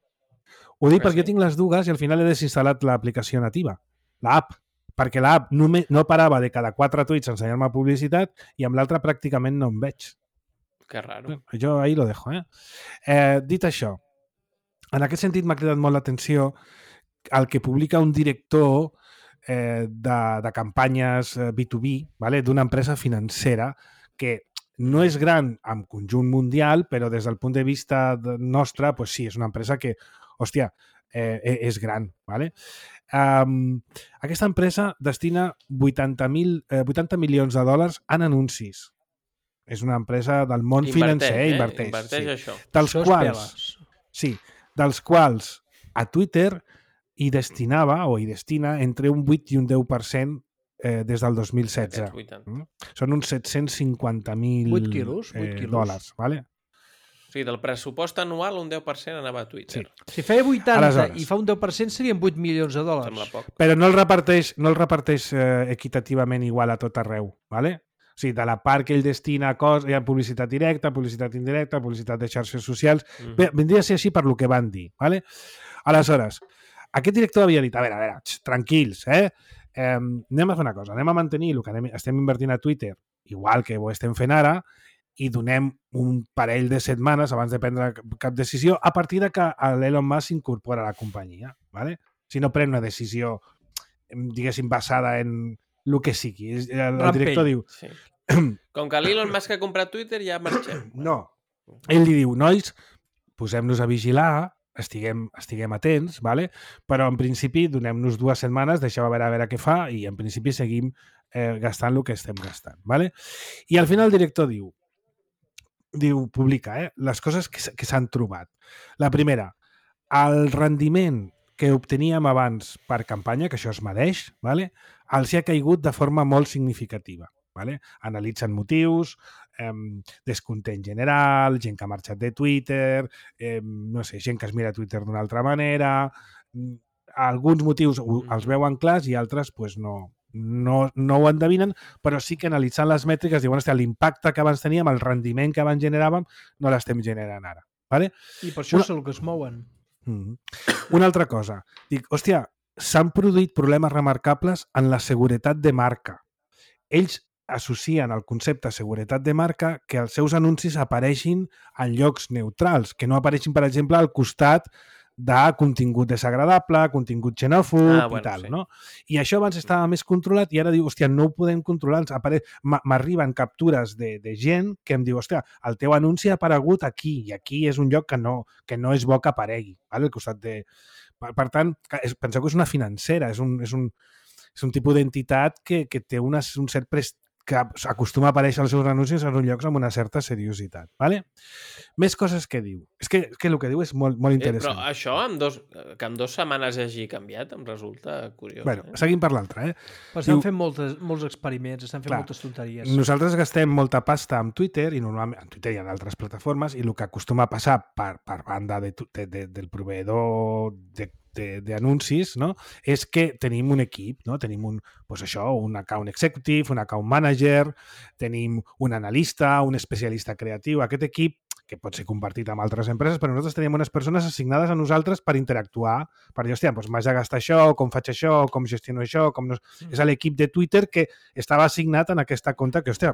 Speaker 2: Ho dic
Speaker 3: Ah,
Speaker 2: perquè
Speaker 3: sí?
Speaker 2: jo tinc les dues i al final he desinstal·lat l'aplicació nativa, l'app, perquè l'app no, no parava de cada quatre tuits ensenyar-me publicitat i amb l'altra pràcticament no em veig.
Speaker 3: Que raro.
Speaker 2: Jo ahí lo dejo, eh? eh dit això, en aquest sentit m'ha cridat molt l'atenció el que publica un director eh, de, de campanyes B dos B, ¿vale? D'una empresa financera que no és gran en conjunt mundial, però des del punt de vista nostre, pues sí, és una empresa que, hòstia, eh, és gran, ¿vale? Um, aquesta empresa destina vuitanta, mil, eh, vuitanta milions de dòlars en anuncis. És una empresa del món
Speaker 3: Inverteix,
Speaker 2: financer,
Speaker 3: eh?
Speaker 2: inverteix.
Speaker 3: Inverteix
Speaker 2: sí.
Speaker 3: això.
Speaker 2: Dels
Speaker 4: Això és
Speaker 2: quals,
Speaker 4: peles.
Speaker 2: sí, dels quals a Twitter hi destinava o hi destina entre un vuit i un deu per cent eh, des del dos mil setze.
Speaker 3: Aquests vuitanta.
Speaker 2: Mm? Són uns set-cents cinquanta mil
Speaker 4: vuit quilos, vuit
Speaker 2: eh,
Speaker 4: quilos.
Speaker 2: dòlars. Vale?
Speaker 3: O sigui, del pressupost anual un deu per cent anava a Twitter.
Speaker 2: Sí.
Speaker 4: Si feia vuitanta
Speaker 2: Aleshores.
Speaker 4: i fa un deu per cent serien vuit milions de
Speaker 3: Sembla
Speaker 4: dòlars.
Speaker 3: poc.
Speaker 2: Però no el reparteix, no el reparteix eh, equitativament igual a tot arreu. Vale? O sigui, de la part que ell destina a cos, hi ha publicitat directa, publicitat indirecta, publicitat de xarxes socials.
Speaker 3: Mhm.
Speaker 2: Bé, vindria a ser així per lo que van dir. Vale? Aleshores, aquest director havia dit, a veure, a veure, tx, tranquils, eh? eh? Anem a fer una cosa, anem a mantenir el que anem, estem invertint a Twitter, igual que ho estem fent ara, i donem un parell de setmanes abans de prendre cap decisió a partir de que l'Elon Musk s'incorpora a la companyia. ¿Vale? Si no pren una decisió, diguéssim, basada en el que sigui. El, el
Speaker 4: Rampell.
Speaker 2: director diu...
Speaker 3: Sí. Com que l'Elon Musk ha comprat Twitter, ja marxem.
Speaker 2: No. Ell li diu, nois, posem-nos a vigilar, estiguem, estiguem atents, ¿vale? Però en principi donem-nos dues setmanes, deixeu a veure, a veure què fa i en principi seguim eh, gastant el que estem gastant. ¿Vale? I al final el director diu, diu publica eh, les coses que, s- que s'han trobat. La primera, el rendiment que obteníem abans per campanya, que això es medeix, ¿vale? Els hi ha caigut de forma molt significativa. ¿Vale? Analitzen motius, eh, descontent general, gent que ha marxat de Twitter, eh, no sé, gent que es mira Twitter d'una altra manera, mm, alguns motius ho- els veuen clars i altres pues, no, no, no ho endevinen, però sí que analitzant les mètriques diuen, hòstia, l'impacte que abans teníem, el rendiment que abans generàvem, no l'estem generant ara. ¿Vale?
Speaker 4: I per això
Speaker 2: Una-
Speaker 4: és el que es mouen.
Speaker 2: Mm. Una altra cosa. Dic, hòstia, s'han produït problemes remarcables en la seguretat de marca. Ells associen el concepte seguretat de marca que els seus anuncis apareixin en llocs neutrals, que no apareixin, per exemple, al costat de contingut desagradable, contingut xenòfob
Speaker 3: Ah, bueno,
Speaker 2: i tal,
Speaker 3: sí.
Speaker 2: no? I això abans estava més controlat i ara diu, hòstia, no ho podem controlar. ens apare- m'a- M'arriben captures de, de gent que em diu, hòstia, el teu anunci ha aparegut aquí i aquí és un lloc que no, que no és bo que aparegui, vale? Al costat de... Per, per tant, que és, penseu que és una financera, és un, és un, és un tipus d'entitat que, que té unes, un cert prestigi que acostuma a aparèixer els seus anuncis en uns llocs amb una certa seriositat. Vale? Més coses que diu. És que, és que el que diu és molt, molt
Speaker 3: Eh,
Speaker 2: interessant.
Speaker 3: però això, amb dos, que en dues setmanes hagi canviat, em resulta curiós.
Speaker 2: Bueno,
Speaker 3: eh?
Speaker 2: seguim per l'altre. Eh?
Speaker 4: Però estan
Speaker 2: Diu-
Speaker 4: fent moltes, molts experiments, estan fent
Speaker 2: Clar,
Speaker 4: moltes tonteries.
Speaker 2: Nosaltres gastem molta pasta amb Twitter i normalment en Twitter i en altres plataformes i el que acostuma a passar per, per banda de, tu- de, de, del proveïdor de d'anuncis, no? És que tenim un equip, no? Tenim un, pues això, un account executive, un account manager, tenim un analista, un especialista creatiu. Aquest equip, que pot ser compartit amb altres empreses, però nosaltres tenim unes persones assignades a nosaltres per interactuar, per dir, hòstia, doncs m'has de gastar això, com faig això, com gestiono això, com no... És l'equip de Twitter que estava assignat en aquesta compte que, hòstia,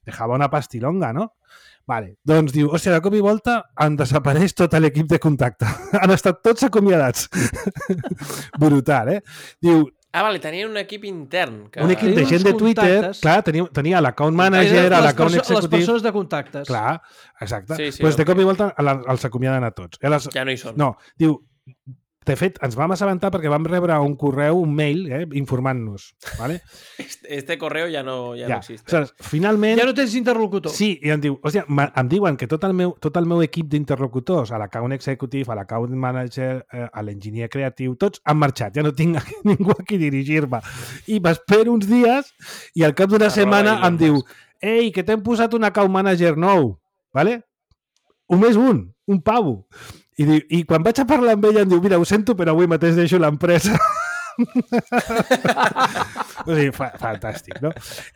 Speaker 2: dejava una pastilonga, no? Vale, doncs diu, hòstia, de cop i volta en desapareix tot l'equip de contacte. Han estat tots acomiadats. Brutal, eh? Diu,
Speaker 3: Ah, vale, tenien un equip intern. Que...
Speaker 2: un equip de
Speaker 4: Tenia
Speaker 2: gent
Speaker 4: uns
Speaker 2: de Twitter,
Speaker 4: contactes.
Speaker 2: clar, tenia, tenia l'account
Speaker 4: Eren
Speaker 2: manager,
Speaker 4: les
Speaker 2: l'account
Speaker 4: perso- Les
Speaker 2: executive...
Speaker 4: persones de contactes.
Speaker 2: Clar, exacte.
Speaker 3: Sí,
Speaker 2: Sí,
Speaker 3: sí,
Speaker 2: pues de
Speaker 3: ok.
Speaker 2: cop i volta la- els acomiaden a tots. I les...
Speaker 3: Ja no hi són.
Speaker 2: No, diu, de fet, ens vam assabentar perquè vam rebre un correu, un mail, eh, informant-nos. ¿vale?
Speaker 3: Este, este correo ja no, ja
Speaker 2: Ja.
Speaker 3: no existe.
Speaker 2: Aleshores, finalment...
Speaker 4: Ja no tens interlocutor.
Speaker 2: Sí, i em diu, hòstia, ma- em diuen que tot el meu, tot el meu equip d'interlocutors, a l'account executive, a l'account manager, eh, a l'enginyer creatiu, tots han marxat, ja no tinc a- ningú a qui dirigir-me. I m'espero uns dies i al cap d'una
Speaker 3: Arroba
Speaker 2: setmana
Speaker 3: Elon
Speaker 2: em diu,
Speaker 3: Musk.
Speaker 2: ei, que t'hem posat un account manager nou, ¿vale? Un més un, un pavo. I, diu, I quan vaig a parlar amb ella em diu, mira, ho sento, però avui mateix deixo l'empresa. O sigui, fa, fantàstic, no?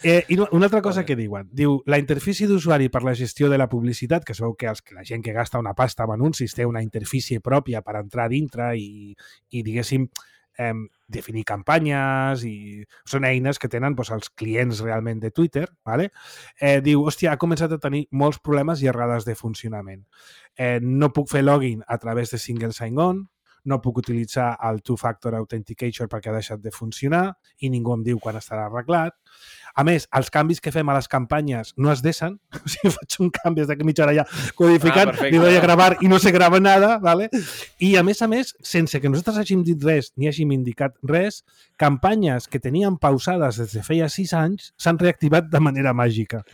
Speaker 2: Eh, I no- una altra cosa que diuen, diu, la interfície d'usuari per la gestió de la publicitat, que sabeu que, els, que la gent que gasta una pasta amb anuncis té una interfície pròpia per entrar dintre i, i diguéssim, eh, definir campanyes i són eines que tenen doncs, els clients realment de Twitter, ¿vale? eh, diu, hòstia, ha començat a tenir molts problemes i errades de funcionament. Eh, no puc fer login a través de single sign-on, no puc utilitzar el two-factor authentication perquè ha deixat de funcionar i ningú em diu quan estarà arreglat. A més, els canvis que fem a les campanyes no es deixen. O sigui, faig un canvi des de mitja hora ja codificant,
Speaker 3: Ah, perfecte.
Speaker 2: li doy a gravar i no se grava nada, ¿vale? I a més a més, sense que nosaltres hàgim dit res ni hàgim indicat res, campanyes que teníem pausades des de feia sis anys s'han reactivat de manera màgica.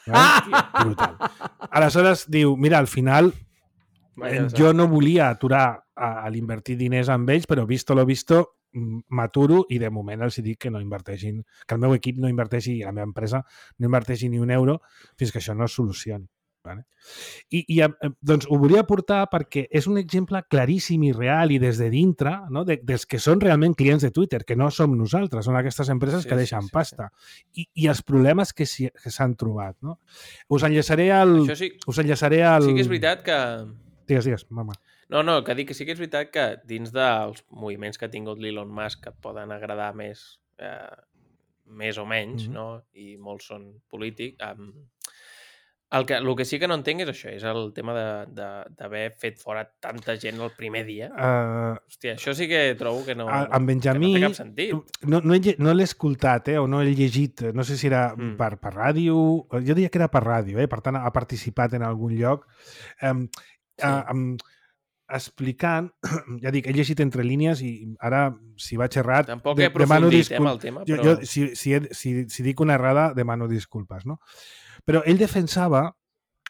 Speaker 2: ¿vale? Brutal. Aleshores diu, mira, al final
Speaker 3: Vaja,
Speaker 2: jo no volia aturar a, a l'invertir diners amb ells, però visto lo visto, m- m'aturo i de moment els dic que no inverteixin, que el meu equip no inverteixi i la meva empresa no inverteixi ni un euro fins que això no es solucioni. Vale? I, i eh, doncs ho volia portar perquè és un exemple claríssim i real i des de dintre, no? de, dels que són realment clients de Twitter, que no som nosaltres, són aquestes empreses
Speaker 3: Sí,
Speaker 2: que
Speaker 3: sí,
Speaker 2: deixen
Speaker 3: sí,
Speaker 2: pasta. I, I els problemes que s'hi- que s'han trobat. No? Us enllaçaré al...
Speaker 3: Això sí,
Speaker 2: Us enllaçaré al...
Speaker 3: sí que és veritat que...
Speaker 2: Digues, digues, mama.
Speaker 3: No, no, que dic que sí que és veritat que dins dels moviments que ha tingut l'Elon Musk que et poden agradar més, eh, més o menys,
Speaker 2: Mhm.
Speaker 3: no? I molts són polítics. Um, el, que, el que sí que no entenc és això, és el tema de- de- d'haver fet fora tanta gent el primer dia.
Speaker 2: Uh,
Speaker 3: Hòstia, això sí que trobo que no,
Speaker 2: A- en Benjamí,
Speaker 3: que no té cap sentit.
Speaker 2: no, no, he, lle- no l'he escoltat, eh, o no he llegit, no sé si era
Speaker 3: Mm.
Speaker 2: per, per ràdio, jo diria que era per ràdio, eh, per tant ha participat en algun lloc, um,
Speaker 3: Sí.
Speaker 2: uh, um, explicant, ja dic, he llegit entre línies i ara, si vaig errat,
Speaker 3: Tampoc
Speaker 2: de-
Speaker 3: he aprofundit eh, amb el tema,
Speaker 2: jo,
Speaker 3: però...
Speaker 2: jo, si, si, he, si, si dic una errada, demano disculpes, no? Però ell defensava,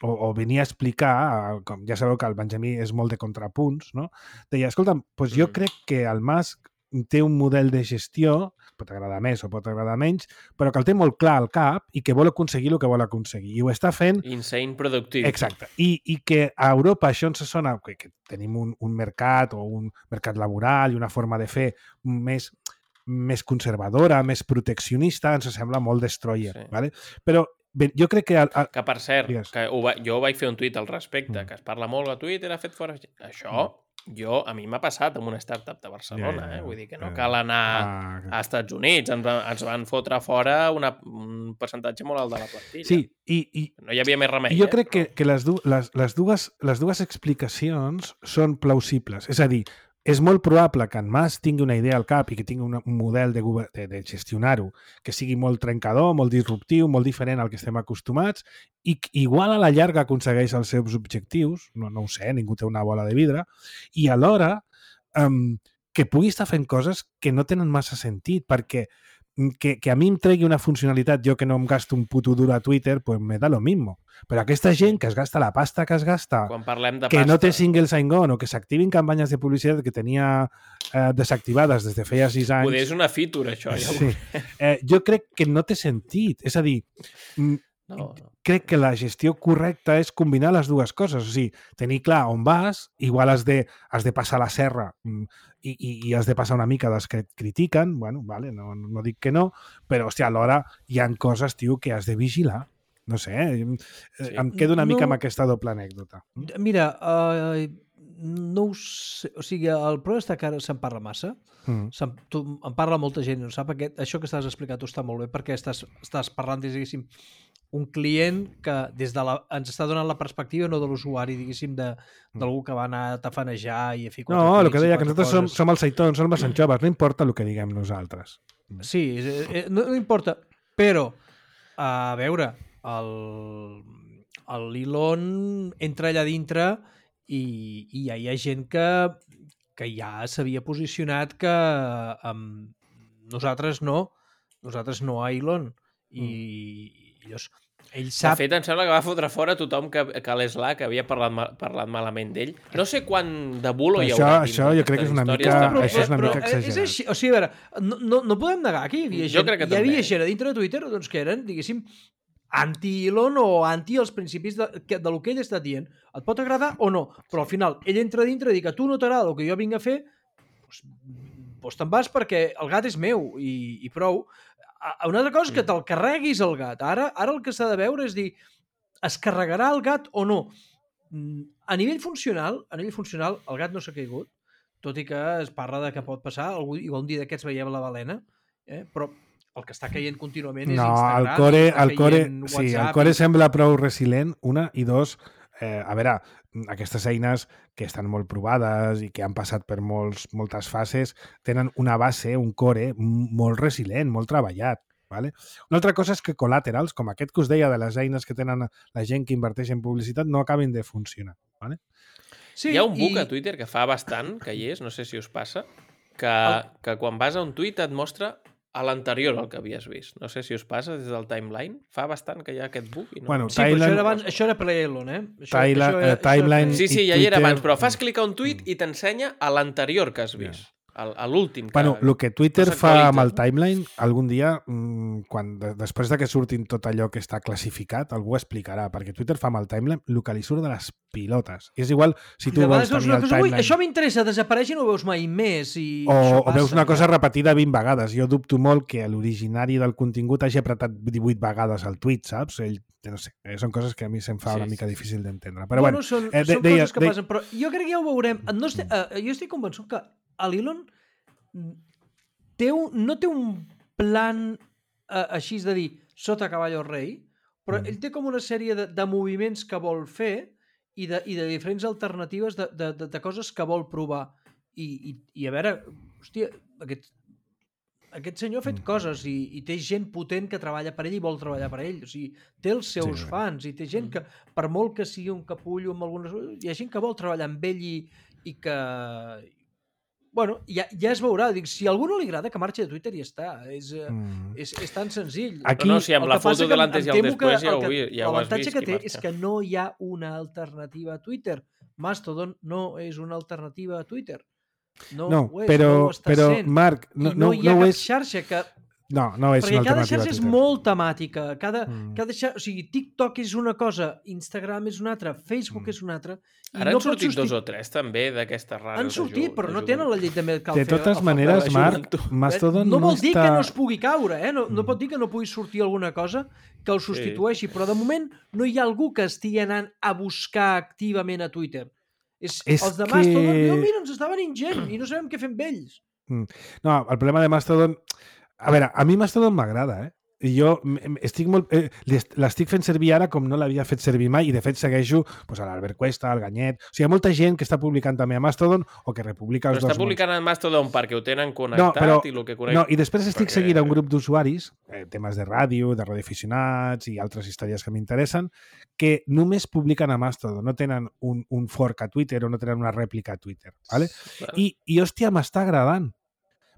Speaker 2: o, o venia a explicar, eh, com ja sabeu que el Benjamí és molt de contrapunts, no? Deia, escolta, doncs jo
Speaker 3: Mm.
Speaker 2: crec que el Musk té un model de gestió, pot agradar més o pot agradar menys, però que el té molt clar al cap i que vol aconseguir el que vol aconseguir. I ho està fent
Speaker 3: Insane productiu.
Speaker 2: exacte. I, I que a Europa això ens sona que, que tenim un, un mercat o un mercat laboral i una forma de fer més, més conservadora, més proteccionista, ens sembla molt destroyer.
Speaker 3: Sí.
Speaker 2: Vale? Però bé, jo crec que... A, a,
Speaker 3: Que, per cert,
Speaker 2: Digues.
Speaker 3: que ho va, jo vaig fer un tuit al respecte,
Speaker 2: Mm.
Speaker 3: que es parla molt a Twitter, ha fet fora... Això, jo, a mi m'ha passat amb una startup de Barcelona,
Speaker 2: Ja, ja, ja.
Speaker 3: eh? Vull dir que no
Speaker 2: Ja.
Speaker 3: cal anar
Speaker 2: a,
Speaker 3: a Estats Units. Ens, va- ens van fotre fora una, un percentatge molt alt de la plantilla.
Speaker 2: sí, i, i,
Speaker 3: No hi havia més remei,
Speaker 2: I jo
Speaker 3: eh?
Speaker 2: crec que,
Speaker 3: Però-
Speaker 2: que les, du les, les, dues, les dues explicacions són plausibles. És a dir, és molt probable que en Mas tingui una idea al cap i que tingui una, un model de, gover- de, de gestionar-ho que sigui molt trencador, molt disruptiu, molt diferent al que estem acostumats i que igual a la llarga aconsegueix els seus objectius, no, no ho sé, ningú té una bola de vidre, i alhora um, que pugui estar fent coses que no tenen massa sentit, perquè que, que a mi em tregui una funcionalitat, jo que no em gasto un puto duro a Twitter, pues me da lo mismo. Però aquesta gent que es gasta la pasta que es gasta,
Speaker 3: Quan parlem de
Speaker 2: que
Speaker 3: pasta...
Speaker 2: no té single sign-on o que s'activin campanyes de publicitat que tenia eh, desactivades des de feia sis anys...
Speaker 3: Poder és una feature, això. Ja
Speaker 2: sí. eh, jo crec que no té sentit. És a dir, no, no. crec que la gestió correcta és combinar les dues coses. O sigui, tenir clar on vas, igual has de, has de passar la serra i, i, i has de passar una mica dels que et critiquen, bueno, vale, no, no dic que no, però, hòstia, alhora hi han coses, tio, que has de vigilar. No sé, eh? Sí. Em quedo una mica no... amb aquesta doble anècdota.
Speaker 4: Mira, uh, no ho sé, o sigui, el problema està que ara se'n parla massa, mm. se'n, tu, en parla molta gent, no sap? Aquest, això que estàs explicant tu està molt bé, perquè estàs, estàs parlant, diguéssim, un client que des de la, ens està donant la perspectiva no de l'usuari, diguéssim, d'algú que va anar a tafanejar i a fer quatre
Speaker 2: No, el que deia, que nosaltres som,
Speaker 4: coses.
Speaker 2: som els seitons, som els Sant Joves, no importa el que diguem nosaltres.
Speaker 4: Sí, no, no importa, però, a veure, l'Elon entra allà dintre i, i ja hi ha gent que, que ja s'havia posicionat que um, nosaltres no, nosaltres no a Elon. I, mm. i llavors, ell sap...
Speaker 3: De fet, em sembla que va fotre fora tothom que, que a l'Slack havia parlat, mal, parlat malament d'ell. No sé quant de bulo hi haurà.
Speaker 2: Això, això jo crec que és una mica,
Speaker 4: però,
Speaker 2: això és una
Speaker 4: però,
Speaker 2: mica exagerat.
Speaker 4: És així, o sigui, a veure, no, no, no podem negar que hi havia gent, hi havia gent a dintre de Twitter doncs, que eren, diguéssim, anti-Elon o anti els principis de, de, de lo que ell està dient. Et pot agradar o no, però al final ell entra dintre i diu que tu no t'agrada el que jo vinc a fer, doncs, doncs te'n vas perquè el gat és meu i, i prou. Una altra cosa és que te'l carreguis el gat. Ara, ara el que s'ha de veure és dir, es carregarà el gat o no? A nivell funcional, a nivell funcional el gat no s'ha caigut, tot i que es parla de que pot passar, algú, igual un dia d'aquests veiem la balena, eh? Però el que està caient contínuament és
Speaker 2: no,
Speaker 4: Instagram.
Speaker 2: El core, el core,
Speaker 4: WhatsApp,
Speaker 2: sí, el core i... sembla prou resilient, una, i dos, eh, a veure, aquestes eines que estan molt provades i que han passat per molts, moltes fases, tenen una base, un core molt resilient, molt treballat. Vale? Una altra cosa és que col·laterals, com aquest que us deia de les eines que tenen la gent que inverteix en publicitat, no acaben de funcionar. Vale?
Speaker 3: Sí, hi ha un bug i... a Twitter que fa bastant, que hi és, no sé si us passa, que, el... que quan vas a un tuit et mostra a l'anterior al que havies vist. No sé si us passa des del timeline. Fa bastant que hi ha aquest bug. I no...
Speaker 4: Bueno, sí, Thailand... però això era, abans, això era Play-Elon, eh? Això,
Speaker 2: Thailand,
Speaker 4: això era,
Speaker 2: timeline
Speaker 3: sí, sí, ja hi era abans, però fas clic a un tuit i t'ensenya a l'anterior que has vist. A l'últim.
Speaker 2: Bueno, el que Twitter fa amb el timeline, algun dia, quan, després de que surtin tot allò que està classificat, algú ho explicarà, perquè Twitter fa amb el timeline el que li surt de les pilotes. És igual si tu vols tenir el timeline...
Speaker 4: Això m'interessa, desapareix i no ho veus mai més. I
Speaker 2: o, o veus una cosa repetida vint vegades. Jo dubto molt que l'originari del contingut hagi apretat divuit vegades el tuit, saps? Ell no sé, són coses que a mi se'm fa sí, una mica sí. difícil d'entendre. Però bueno,
Speaker 4: bueno són,
Speaker 2: eh,
Speaker 4: són
Speaker 2: deia,
Speaker 4: coses que
Speaker 2: deia...
Speaker 4: passen, però jo crec que ja ho veurem. No estic, eh, jo estic convençut que l'Elon té un, no té un plan eh, així de dir sota cavallo rei, però mm. ell té com una sèrie de, de moviments que vol fer i de, i de diferents alternatives de, de, de, de coses que vol provar. I, i, i a veure, hòstia, aquest, aquest senyor ha fet mm. coses i, i té gent potent que treballa per ell i vol treballar per ell. O sigui, té els seus sí, fans i té gent que, per molt que sigui un capullo amb algunes... hi ha gent que vol treballar amb ell i, i que... Bueno, ja, ja es veurà. Dic, si a algú no li agrada, que marxi de Twitter i ja està. És, mm. és, és tan senzill.
Speaker 3: Aquí, no, no, si amb la foto de l'antes i el després ja ho, ja ho has vist.
Speaker 4: L'avantatge que té és que no hi ha una alternativa a Twitter. Mastodon no és una alternativa a Twitter. No,
Speaker 2: no
Speaker 4: ho és,
Speaker 2: però,
Speaker 4: no ho està
Speaker 2: però,
Speaker 4: sent.
Speaker 2: Marc, no,
Speaker 4: I no, no hi ha
Speaker 2: no
Speaker 4: cap
Speaker 2: és...
Speaker 4: xarxa que...
Speaker 2: No, no és
Speaker 4: perquè
Speaker 2: una
Speaker 4: cada
Speaker 2: alternativa
Speaker 4: xarxa és molt temàtica. Cada, mm. cada xarxa, o sigui, TikTok és una cosa, Instagram és una altra, Facebook mm. és una altra.
Speaker 3: Ara no han sortit substit... dos o tres també d'aquestes rares.
Speaker 4: Han sortit, però no tenen la llei de Metcalfe.
Speaker 2: De totes maneres, Marc, Mastodon
Speaker 4: no vol
Speaker 2: no
Speaker 4: dir
Speaker 2: està...
Speaker 4: que no es pugui caure, eh? no, no pot dir que no pugui sortir alguna cosa que el substitueixi, sí. Però de moment no hi ha algú que estigui anant a buscar activament a Twitter. És, és els de Mastodon, que... no, mira, ens està venint gent i no sabem què fem amb ells.
Speaker 2: No, el problema de Mastodon... A veure, a mi Mastodon m'agrada, eh? I jo estic molt... Eh, l'estic fent servir ara com no l'havia fet servir mai i de fet segueixo pues, a l'Albert Cuesta, al Ganyet... O sigui, hi ha molta gent que està publicant també a Mastodon o que republica els
Speaker 3: però
Speaker 2: dos
Speaker 3: està publicant
Speaker 2: mons.
Speaker 3: a Mastodon perquè ho tenen connectat no,
Speaker 2: però,
Speaker 3: i el que connecta...
Speaker 2: No, i després estic perquè... seguint a un grup d'usuaris, eh, temes de ràdio, de radioaficionats i altres històries que m'interessen, que només publiquen a Mastodon, no tenen un, un fork a Twitter o no tenen una rèplica a Twitter. ¿Vale? Vale. I, I, hòstia, m'està agradant.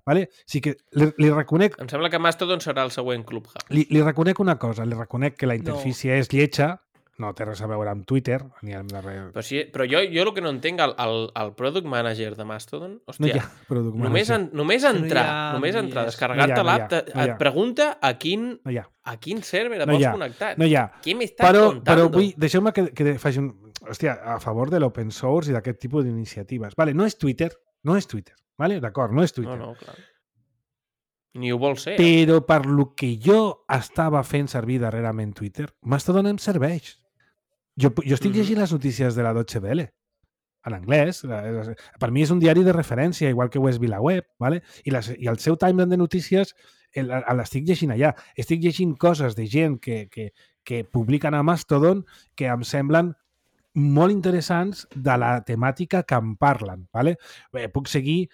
Speaker 2: Vale? Sí que li, li reconec...
Speaker 3: Em sembla que Mastodon serà el següent Clubhouse.
Speaker 2: Li, li reconec una cosa, li reconec que la interfície no. és lletja, no té res a veure amb Twitter, ni amb la...
Speaker 3: Però, sí, però jo, jo el que no entenc, el, el, el Product Manager de Mastodon, hòstia,
Speaker 2: no hi ha Product
Speaker 3: només, en, només entrar, no ha, només entrar, no descarregar-te no l'app, no et pregunta a quin, no a quin server et
Speaker 2: no
Speaker 3: vols connectar.
Speaker 2: No hi ha.
Speaker 3: Què m'estàs
Speaker 2: però,
Speaker 3: contando?
Speaker 2: Però vull, deixeu-me que, que faci un... Hòstia, a favor de l'open source i d'aquest tipus d'iniciatives. Vale, no és Twitter, no és Twitter, vale? D'acord, no és Twitter.
Speaker 3: No, no, clar. Ni ho vol ser.
Speaker 2: Però per lo que jo estava fent servir darrerament Twitter, Mastodon em serveix. Jo, jo estic mm-hmm. llegint les notícies de la Deutsche Welle en anglès. Per mi és un diari de referència, igual que ho és VilaWeb, ¿vale? I, les, i el seu timeline de notícies l'estic llegint allà. Estic llegint coses de gent que, que, que publiquen a Mastodon que em semblen molt interessants de la temàtica que em parlen. ¿Vale? Bé, puc seguir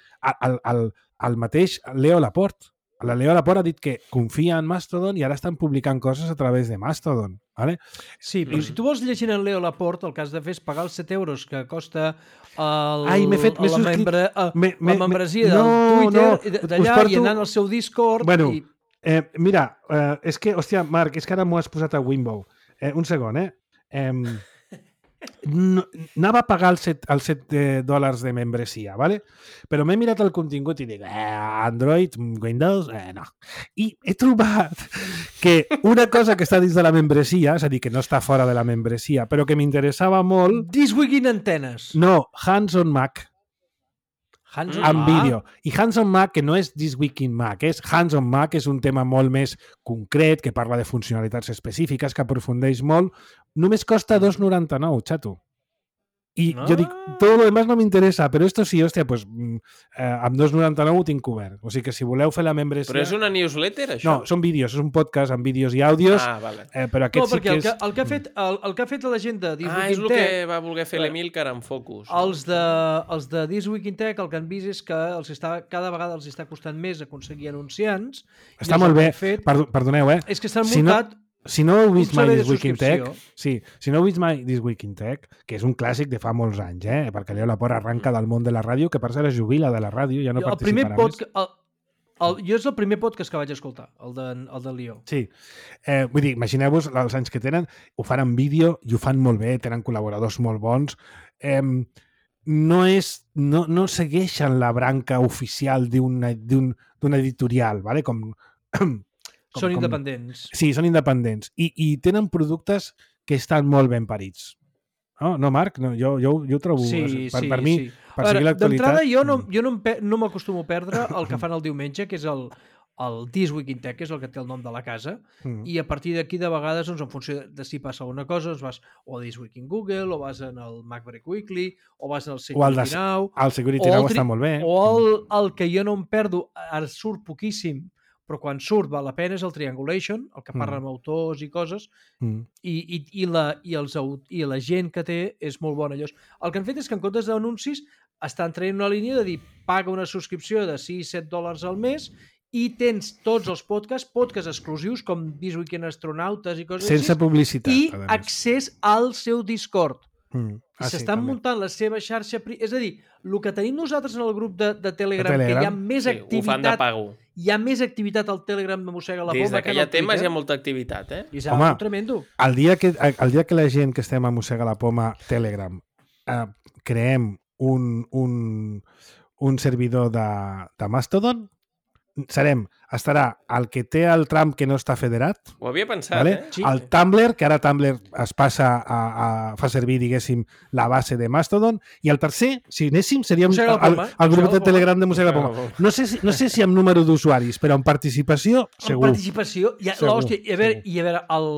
Speaker 2: el, el, el mateix Leo Laporte. La Leo Laporte ha dit que confia en Mastodon i ara estan publicant coses a través de Mastodon. ¿Vale?
Speaker 4: Sí, però mm. si tu vols llegir en Leo Laporte, el que has de fer és pagar els set euros que costa el,
Speaker 2: Ai, m'he fet,
Speaker 4: la, membre, me, me, la membresia del
Speaker 2: no,
Speaker 4: Twitter
Speaker 2: no,
Speaker 4: d'allà porto... i anant al seu Discord.
Speaker 2: Bueno,
Speaker 4: i...
Speaker 2: eh, mira, eh, és que, hòstia, Marc, és que ara m'ho has posat a Wimbo. Eh, un segon, eh? eh No, anava a pagar els set, els set dòlars de membresia, ¿vale? Però m'he mirat el contingut i dic, eh, Android, Windows, eh, no. I he trobat que una cosa que està dins de la membresia, és a dir, que no està fora de la membresia, però que m'interessava molt...
Speaker 4: This Week in Antenes.
Speaker 2: No, Hands on Mac.
Speaker 4: Hands on
Speaker 2: en
Speaker 4: Mac?
Speaker 2: vídeo. I Hands on Mac, que no és This Week in Mac, és Hands on Mac, és un tema molt més concret, que parla de funcionalitats específiques, que aprofundeix molt. Només costa dos noranta-nou, xato. I ah. jo dic, tot lo demás no m'interessa, però esto sí, hòstia, pues, eh, amb dos noranta-nou ho tinc cobert. O sigui que si voleu fer la membresia...
Speaker 3: Però és una newsletter, això?
Speaker 2: No, són vídeos, és un podcast amb vídeos i àudios.
Speaker 3: Ah, vale.
Speaker 2: Eh, però aquest
Speaker 4: no,
Speaker 2: sí que
Speaker 4: el
Speaker 2: és...
Speaker 4: que, el, que ha fet, el, el que ha fet la gent de This
Speaker 3: ah,
Speaker 4: Week in Tech... Ah,
Speaker 3: és el que va voler fer l'Emilcar en Focus.
Speaker 4: Els de, els de This Week in Tech el que han vist és que els està, cada vegada els està costant més aconseguir anunciants.
Speaker 2: Està molt bé.
Speaker 4: Fet,
Speaker 2: Perdoneu, eh?
Speaker 4: És que s'han
Speaker 2: si
Speaker 4: muntat...
Speaker 2: No... Si no heu vist mai This Week in Tech, sí, si no heu vist mai This Week in Tech, que és un clàssic de fa molts anys, eh? Perquè Leo Laporte arranca del món de la ràdio, que per cert es jubila de la ràdio, ja no
Speaker 4: el
Speaker 2: participarà
Speaker 4: pod...
Speaker 2: més.
Speaker 4: El, el, jo és el primer podcast que vaig escoltar, el de, el de Leo.
Speaker 2: Sí, eh, vull dir, imagineu-vos els anys que tenen, ho fan en vídeo i ho fan molt bé, tenen col·laboradors molt bons. Eh, no, és, no, no segueixen la branca oficial d'un editorial, ¿vale? Com... Com,
Speaker 4: són
Speaker 2: com...
Speaker 4: independents.
Speaker 2: Sí, són independents. I, i tenen productes que estan molt ben parits. No, no Marc? No, jo, jo, jo ho trobo...
Speaker 4: Sí,
Speaker 2: per,
Speaker 4: sí,
Speaker 2: per mi,
Speaker 4: sí.
Speaker 2: per seguir l'actualitat...
Speaker 4: D'entrada, jo no, jo no, no m'acostumo a perdre el que fan el diumenge, que és el, el This Week in Tech, que és el que té el nom de la casa, mm. i a partir d'aquí, de vegades, doncs, en funció de si passa alguna cosa, doncs vas o a This Week in Google, o vas en el MacBreak Weekly, o vas en el Security
Speaker 2: de,
Speaker 4: Now...
Speaker 2: El Security Now està molt bé.
Speaker 4: O el, el que jo no em perdo, ara surt poquíssim, però quan surt val la pena és el Triangulation, el que parla mm. amb autors i coses, mm. i, i, i, la, i, els, i la gent que té és molt bona. Llavors, el que han fet és que en comptes d'anuncis estan traient una línia de dir paga una subscripció de sis set dòlars al mes i tens tots els podcasts, podcasts exclusius com This Week in Astronautes i coses
Speaker 2: sense
Speaker 4: així,
Speaker 2: publicitat,
Speaker 4: i accés al seu Discord.
Speaker 2: Mm. Ah,
Speaker 4: I s'estan
Speaker 2: sí,
Speaker 4: muntant la seva xarxa... Pri... És a dir, el que tenim nosaltres en el grup de, de, Telegram,
Speaker 2: de Telegram,
Speaker 4: que hi ha més
Speaker 3: sí,
Speaker 4: activitat...
Speaker 3: Ho fan de pago.
Speaker 4: Hi ha més activitat al Telegram de Mossega la Poma.
Speaker 3: Des que hi ha temes hi ha molta activitat, eh?
Speaker 4: I és Home, tremendo.
Speaker 2: El dia, que, el dia que la gent que estem a Mossega la Poma Telegram eh, creem un, un, un servidor de, de Mastodon, serem, estarà el que té el Trump que no està federat.
Speaker 3: Ho havia pensat,
Speaker 2: vale?
Speaker 3: eh?
Speaker 2: Sí. El Tumblr, que ara Tumblr es passa a, a fa servir, diguéssim, la base de Mastodon, i el tercer, si anéssim, seria un, el, el grup de Telegram de Mossega la Poma. No sé si, no sé si amb número d'usuaris, però amb participació, segur.
Speaker 4: Amb participació, ja, l'hòstia, i a veure, i a veure el,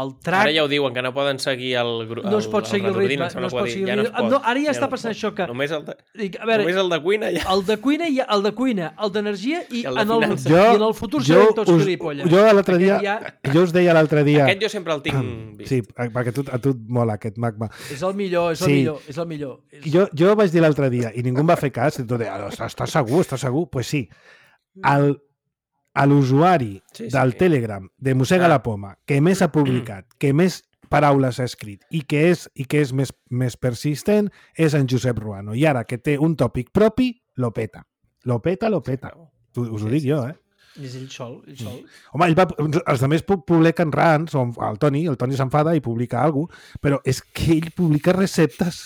Speaker 4: el track...
Speaker 3: Ara ja ho diuen, que no poden seguir el grup.
Speaker 4: No es pot seguir el ritme, no es pot seguir el ritme. No, ara ja, ja està passant no això que...
Speaker 3: Només el de,
Speaker 4: a veure,
Speaker 3: només el de cuina ja.
Speaker 4: El de cuina, i el de cuina, el d'energia i,
Speaker 3: I el de
Speaker 4: en el,
Speaker 2: jo,
Speaker 4: i en el futur serem tots gilipolles.
Speaker 2: Jo l'altre dia, ja... jo us deia l'altre dia...
Speaker 3: Aquest jo sempre el tinc vist.
Speaker 2: Sí, perquè a tu, a tu et mola aquest magma.
Speaker 4: És el millor, és el sí. millor, és el millor. És...
Speaker 2: Jo, jo vaig dir l'altre dia i ningú em va fer cas, i tot deia, estàs segur, estàs segur? Doncs pues sí. El, l'usuari sí, sí. del Telegram de Mossega ah. la Poma, que més ha publicat, que més paraules ha escrit i que és, i que és més, més persistent, és en Josep Ruano. I ara que té un tòpic propi, lo peta. Lo peta, lo peta. Us ho dic jo, eh?
Speaker 4: És ell sol, ell sol.
Speaker 2: Home, ell va, els altres publiquen rants, o el Toni, el Toni s'enfada i publica alguna cosa, però és que ell publica receptes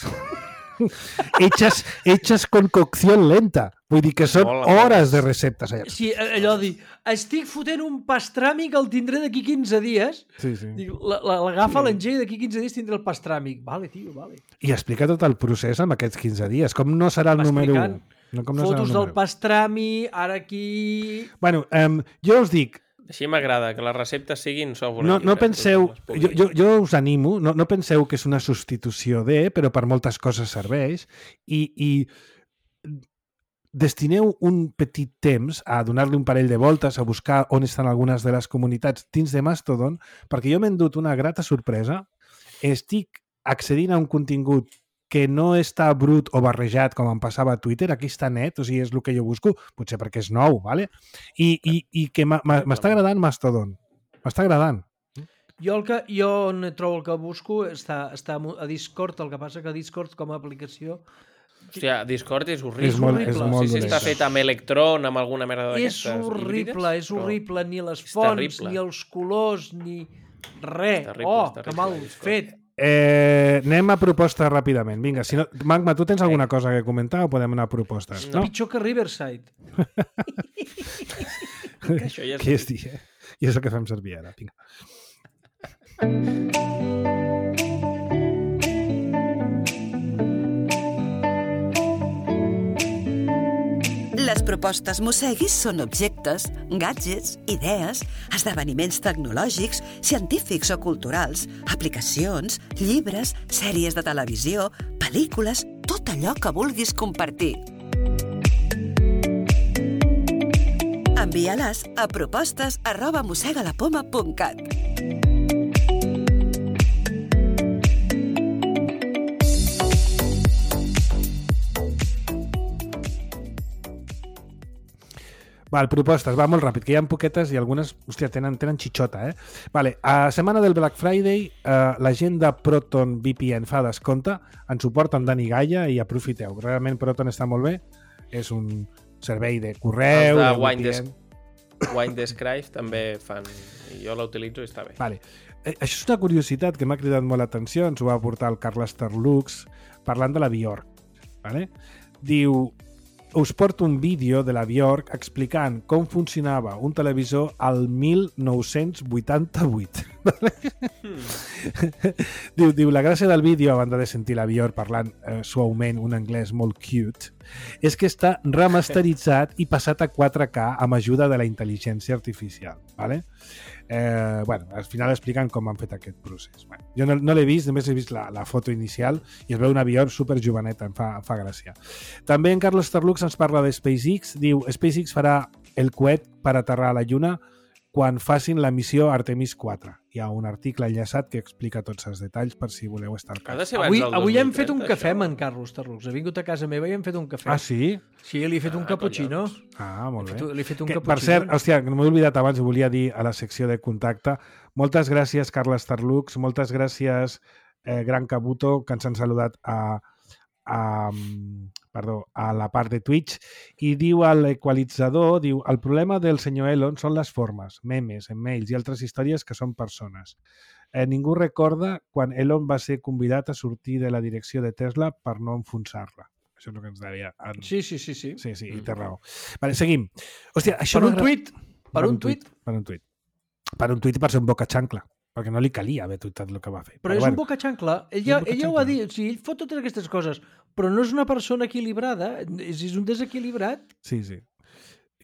Speaker 2: hechas, hechas con cocción lenta. Vull dir que són hores de receptes allà.
Speaker 4: Sí, allò de dir, estic fotent un pastràmic, el tindré d'aquí quinze dies.
Speaker 2: Sí, sí.
Speaker 4: L'agafa, l'engega, d'aquí quinze dies tindré el pastràmic. Vale, tio, vale.
Speaker 2: I explica tot el procés amb aquests quinze dies. Com no serà el número un? No, com no
Speaker 4: fotos del pastrami, ara aquí...
Speaker 2: Bueno, um, jo us dic...
Speaker 3: Així m'agrada, que les receptes siguin software.
Speaker 2: No, no penseu... Jo, jo, jo us animo, no, no penseu que és una substitució de, però per moltes coses serveix, i, i destineu un petit temps a donar-li un parell de voltes, a buscar on estan algunes de les comunitats dins de Mastodon, perquè jo m'he endut una grata sorpresa. Estic accedint a un contingut que no està brut o barrejat com em passava a Twitter, aquí està net, o sigui, és el que jo busco, potser perquè és nou, ¿vale? I, i, i que m'està agradant Mastodon, m'està agradant.
Speaker 4: Jo, el que, jo on trobo el que busco està, està a Discord, el que passa que Discord com a aplicació...
Speaker 3: Hòstia, Discord és horrible.
Speaker 2: És molt, és molt
Speaker 3: sí, sí, està fet amb Electron, amb alguna merda d'aquestes
Speaker 4: És horrible,
Speaker 3: híbrides,
Speaker 4: és horrible, ni les fonts, ni els colors, ni res. Oh, que mal fet.
Speaker 2: Eh, anem a propostes ràpidament. Vinga, si no... Magma, tu tens alguna cosa que comentar o podem anar a propostes?
Speaker 4: No? Pitjor que Riverside.
Speaker 3: Això ja és...
Speaker 2: Què és dir, eh? I és el que fem servir ara. Vinga.
Speaker 5: Les propostes Mosseguis són objectes, gadgets, idees, esdeveniments tecnològics, científics o culturals, aplicacions, llibres, sèries de televisió, pel·lícules, tot allò que vulguis compartir. Envia-les a propostes arroba mossegalapoma punt cat.
Speaker 2: Val, propostes, va molt ràpid, que hi ha poquetes i algunes, hòstia, tenen, tenen xitxota, eh? Vale, a setmana del Black Friday, eh, la gent de Proton V P N fa descompte, ens suporta amb Dani Gaia i aprofiteu. Realment Proton està molt bé, és un servei de correu...
Speaker 3: Els de,
Speaker 2: de
Speaker 3: Wine, Des... Wine Describe també fan, i jo l'utilitzo i està bé.
Speaker 2: Vale. Eh, això és una curiositat que m'ha cridat molt l'atenció, ens ho va aportar el Carles Terlux, parlant de la Bjork. Vale? Diu... Us porto un vídeo de la Bjork explicant com funcionava un televisor al mil nou-cents vuitanta-vuit. Mm. diu, diu, la gràcia del vídeo, a banda de sentir la Bjork parlant eh, suaument un anglès molt cute, és que està remasteritzat i passat a quatre K amb ajuda de la intel·ligència artificial. Vale? Eh, bueno, al final expliquen com han fet aquest procés. Bueno, jo no, no l'he vist, només he vist la, la foto inicial i es veu una Bjork super joveneta, em fa, em fa gràcia. També en Carlos Terlux ens parla de SpaceX, diu SpaceX farà el coet per aterrar a la Lluna quan facin la missió Artemis quatre. Hi ha un article enllaçat que explica tots els detalls per si voleu estar al cas.
Speaker 4: Avui, avui hem fet un cafè amb en Carlos Terlux. Ha vingut a casa meva i hem fet un cafè.
Speaker 2: Ah, sí?
Speaker 4: Sí, li he fet ah, un cappuccino.
Speaker 2: Ah, molt bé.
Speaker 4: Li he fet un
Speaker 2: que,
Speaker 4: cappuccino.
Speaker 2: Per cert, hòstia, no m'he oblidat abans, volia dir a la secció de contacte, moltes gràcies, Carles Terlux, moltes gràcies, eh, Gran Cabuto, que ens han saludat a, a, perdó, a la part de Twitch, i diu a l'equalitzador, diu, el problema del senyor Elon són les formes, memes, emails i altres històries que són persones. Eh, ningú recorda quan Elon va ser convidat a sortir de la direcció de Tesla per no enfonsar-la. Això és el que ens deia. En...
Speaker 4: Sí, sí, sí, sí.
Speaker 2: Sí, sí, i té raó. Vale, seguim. Hòstia, això
Speaker 4: per un tuit. Per,
Speaker 2: per
Speaker 4: un tuit.
Speaker 2: Per un tuit. Per un tuit i per ser un boca xancla. Perquè no li calia haver tuitat el que va fer.
Speaker 4: Però, però és bueno, un boca xancla. Ella, ella ho va dir. O sigui, ell fot totes aquestes coses, però no és una persona equilibrada. És, és un desequilibrat.
Speaker 2: Sí, sí.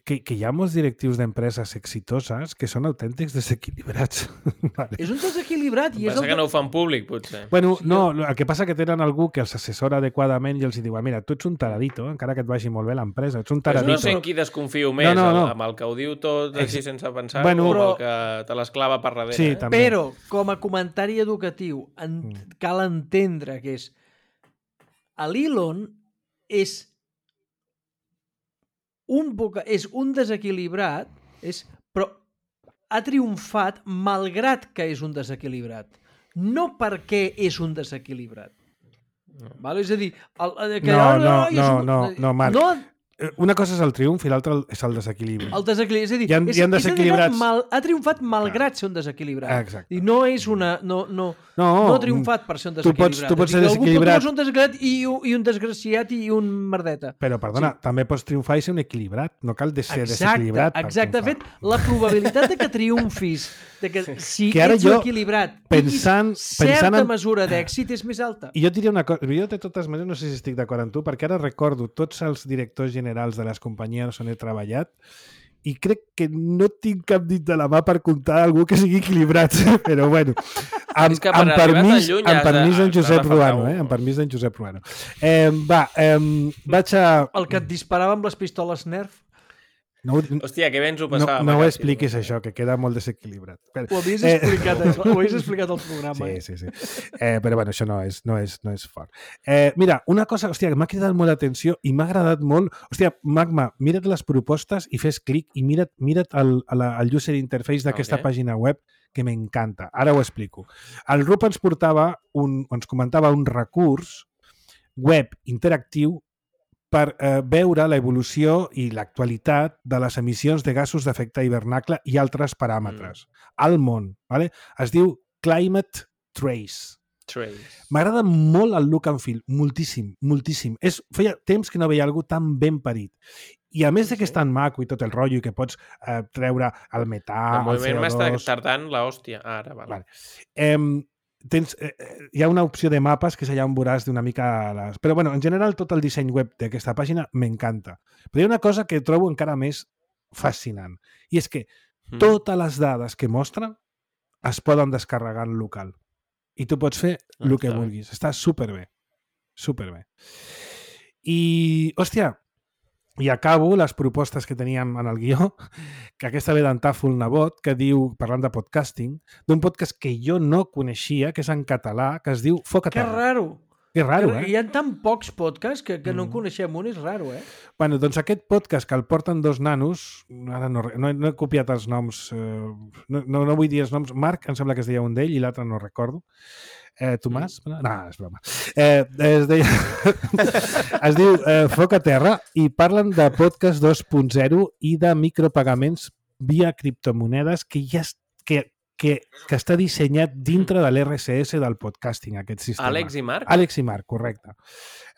Speaker 2: Que, que hi ha molts directius d'empreses exitoses que són autèntics desequilibrats. Vale.
Speaker 4: És un desequilibrat. I és
Speaker 3: passa
Speaker 4: el
Speaker 3: que no ho fan públic, potser.
Speaker 2: Bueno, sí, no, el que passa que tenen algú que els assessora adequadament i els diu, mira, tu ets un taradito, encara que et vagi molt bé l'empresa, ets un taradito.
Speaker 3: Pues no sé en qui desconfio més, no, no, no. amb el que ho diu tot així sense pensar, bueno, o però... el que te l'esclava per darrere.
Speaker 2: Sí,
Speaker 3: eh?
Speaker 2: també.
Speaker 4: Però, com a comentari educatiu, en... mm. cal entendre que és l'Elon és un boca, és un desequilibrat, és, però ha triomfat malgrat que és un desequilibrat. No perquè és un desequilibrat. No. Vale? És a dir... El, el, que
Speaker 2: no,
Speaker 4: ara,
Speaker 2: no,
Speaker 4: no,
Speaker 2: no, un... no, no, Marc. No... una cosa és el triomf i l'altra és el desequilibri.
Speaker 4: El desequilibri, és a dir,
Speaker 2: hi ha,
Speaker 4: és,
Speaker 2: hi ha
Speaker 4: és
Speaker 2: desequilibrats...
Speaker 4: mal, ha triomfat malgrat ser un desequilibrat.
Speaker 2: Exacte.
Speaker 4: I no és una... No, no,
Speaker 2: no,
Speaker 4: no ha triomfat per ser un
Speaker 2: tu pots,
Speaker 4: desequilibrat.
Speaker 2: tu pots ser
Speaker 4: dir,
Speaker 2: desequilibrat.
Speaker 4: Algú pot ser un desequilibrat i, i un desgraciat i un merdeta.
Speaker 2: Però, perdona, sí. també pots triomfar i ser un equilibrat. No cal de ser
Speaker 4: exacte,
Speaker 2: desequilibrat.
Speaker 4: Exacte, de fet, la probabilitat de que triomfis, de que si
Speaker 2: que
Speaker 4: ets un equilibrat,
Speaker 2: pensant,
Speaker 4: certa
Speaker 2: pensant en...
Speaker 4: mesura d'èxit és més alta.
Speaker 2: I jo diria una cosa, jo de totes maneres no sé si estic d'acord amb tu, perquè ara recordo tots els directors generals de les companyies on he treballat i crec que no tinc cap dit de la mà per comptar algú que sigui equilibrat, però bueno, amb,
Speaker 3: és que
Speaker 2: amb permís,
Speaker 3: lluny,
Speaker 2: amb permís d'en Josep
Speaker 3: de
Speaker 2: Ruano, eh? amb permís d'en Josep Ruano. Eh, va, eh, vaig a...
Speaker 4: El que et disparava amb les pistoles Nerf?
Speaker 2: No,
Speaker 3: Hòstia, que bé ens ho
Speaker 2: no,
Speaker 3: passàvem.
Speaker 2: no ho expliquis, això, que queda molt desequilibrat. Però,
Speaker 4: ho havies explicat, eh... ho havies explicat al programa.
Speaker 2: Sí, sí, sí. Eh, però bueno, això no és, no és, no és fort. Eh, mira, una cosa, hòstia, que m'ha cridat molt l'atenció i m'ha agradat molt... Hòstia, Magma, mira't les propostes i fes clic i mira't, mira't el, el, el user interface d'aquesta okay. pàgina web que m'encanta. Ara ho explico. El Rup ens portava, un, ens comentava un recurs web interactiu per eh, veure l'evolució i l'actualitat de les emissions de gasos d'efecte hivernacle i altres paràmetres mm. al món. Vale? Es diu Climate Trace.
Speaker 3: Trace.
Speaker 2: M'agrada molt el look and feel, moltíssim, moltíssim. És, feia temps que no veia algú tan ben parit. I a més de que és tan maco i tot el rotllo i que pots eh, treure el metà, el, el C O dos...
Speaker 3: El moviment m'està tardant l'hòstia. Ara, vale.
Speaker 2: vale. Eh, Tens, eh, hi ha una opció de mapes que és allà on veuràs d'una mica les... Però, bueno, en general, tot el disseny web d'aquesta pàgina m'encanta. Però hi ha una cosa que trobo encara més fascinant. I és que mm. totes les dades que mostren es poden descarregar en local. I tu pots fer el ah, que vulguis. Està superbé. Superbé. I, hòstia, i acabo les propostes que teníem en el guió, que aquesta ve d'en Tàfol Nebot, que diu, parlant de podcasting, d'un podcast que jo no coneixia, que és en català, que es diu Foc a
Speaker 4: Terra. Que raro!
Speaker 2: Que raro, eh?
Speaker 4: Hi ha tan pocs podcasts que, que no en coneixem un, és raro, eh?
Speaker 2: Bueno, doncs aquest podcast que el porten dos nanos, ara no, no, no he copiat els noms, eh, no, no, no vull dir els noms, Marc, em sembla que es deia un d'ell i l'altre no recordo. Eh, Tomàs? No, és broma. Eh, es, deia... es diu eh, Foc a Terra i parlen de podcast dos punt zero i de micropagaments via criptomonedes que ja que, que, que està dissenyat dintre de l'R S S del podcasting, aquest sistema.
Speaker 3: Àlex i Marc?
Speaker 2: Àlex i Marc, correcte.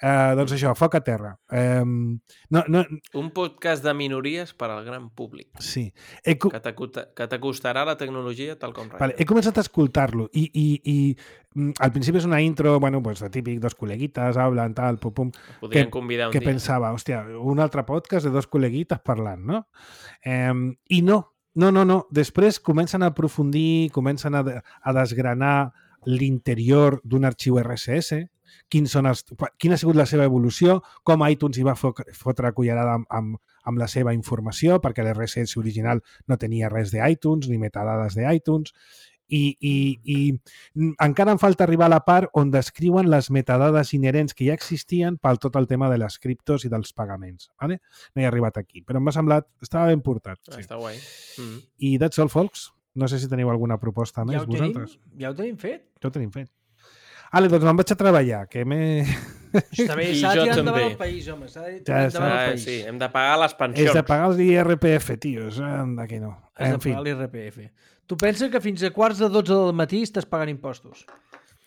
Speaker 2: Eh, doncs això, Foc a Terra. Eh, no, no...
Speaker 3: Un podcast de minories per al gran públic.
Speaker 2: Sí. He...
Speaker 3: Que t'acostarà la tecnologia tal com res.
Speaker 2: Vale, he començat a escoltar-lo i, i, i al principi és una intro, bueno, pues, de típic, dos col·leguites, hablen, tal, pum, pum.
Speaker 3: Podrien
Speaker 2: que,
Speaker 3: convidar un
Speaker 2: que
Speaker 3: dia.
Speaker 2: pensava, hòstia, un altre podcast de dos col·leguites parlant, no? Eh, I no, no, no, no. Després comencen a aprofundir, comencen a, a desgranar l'interior d'un arxiu R S S, quins són els, quina ha sigut la seva evolució, com iTunes hi va fotre cullerada amb, amb, amb la seva informació, perquè l'R S S original no tenia res d'iTunes, ni metadades d'iTunes, i, i, i encara em falta arribar a la part on descriuen les metadades inherents que ja existien pel tot el tema de les criptos i dels pagaments. Vale? No he arribat aquí, però m'ha semblat, estava ben portat.
Speaker 3: Sí. Està guai. Mm.
Speaker 2: I that's all, folks. No sé si teniu alguna proposta més,
Speaker 4: ja
Speaker 2: vosaltres.
Speaker 4: Tenim, ja ho tenim fet.
Speaker 2: Ja ho tenim fet. Ale, doncs me'n vaig a treballar, que m'he...
Speaker 4: Està bé, s'ha de tirar endavant el país, home. S'ha de tirar
Speaker 2: ja
Speaker 4: endavant el país.
Speaker 3: Sí, hem de pagar les pensions.
Speaker 2: És de pagar els I R P F, tios. D'aquí no.
Speaker 4: Has de pagar l'I R P F. Tu penses que fins a quarts de dotze del matí estàs pagant impostos?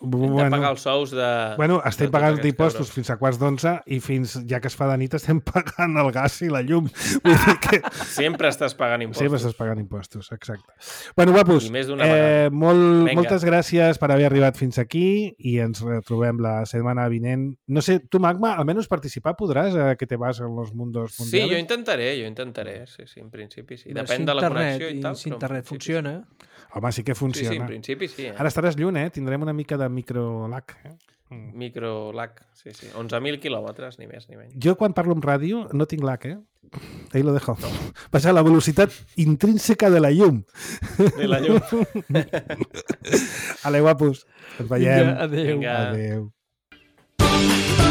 Speaker 3: Hem de
Speaker 2: bueno,
Speaker 3: pagar els sous de...
Speaker 2: Bueno, estem
Speaker 3: de
Speaker 2: pagant impostos fins a quarts d'onze i fins, ja que es fa de nit, estem pagant el gas i la llum. Vull dir que...
Speaker 3: Sempre estàs pagant impostos.
Speaker 2: Sempre estàs pagant impostos, exacte. Bueno, guapos,
Speaker 3: eh,
Speaker 2: molt, moltes gràcies per haver arribat fins aquí i ens retrobem la setmana vinent. No sé, tu, Magma, almenys participar podràs, eh, que te vas en los mundos mundials?
Speaker 3: Sí, jo intentaré, jo intentaré, sí, sí, en principi sí. Depèn si de la connexió i tal.
Speaker 4: Si internet funciona...
Speaker 2: Home, sí que funciona.
Speaker 3: Sí, sí, en principi sí. Eh?
Speaker 2: Ara estaràs lluny, eh? Tindrem una mica de micro-lag. Eh?
Speaker 3: Mm. Micro-lag, sí, sí. onze mil quilòmetres, ni més ni menys.
Speaker 2: Jo, quan parlo amb ràdio, no tinc lag, eh? Ahí lo dejo. No. Passa la velocitat intrínseca de la llum.
Speaker 3: De la llum.
Speaker 2: Ale, guapos. Ens veiem.
Speaker 4: Vinga, adéu.
Speaker 3: Vinga.
Speaker 2: Adéu.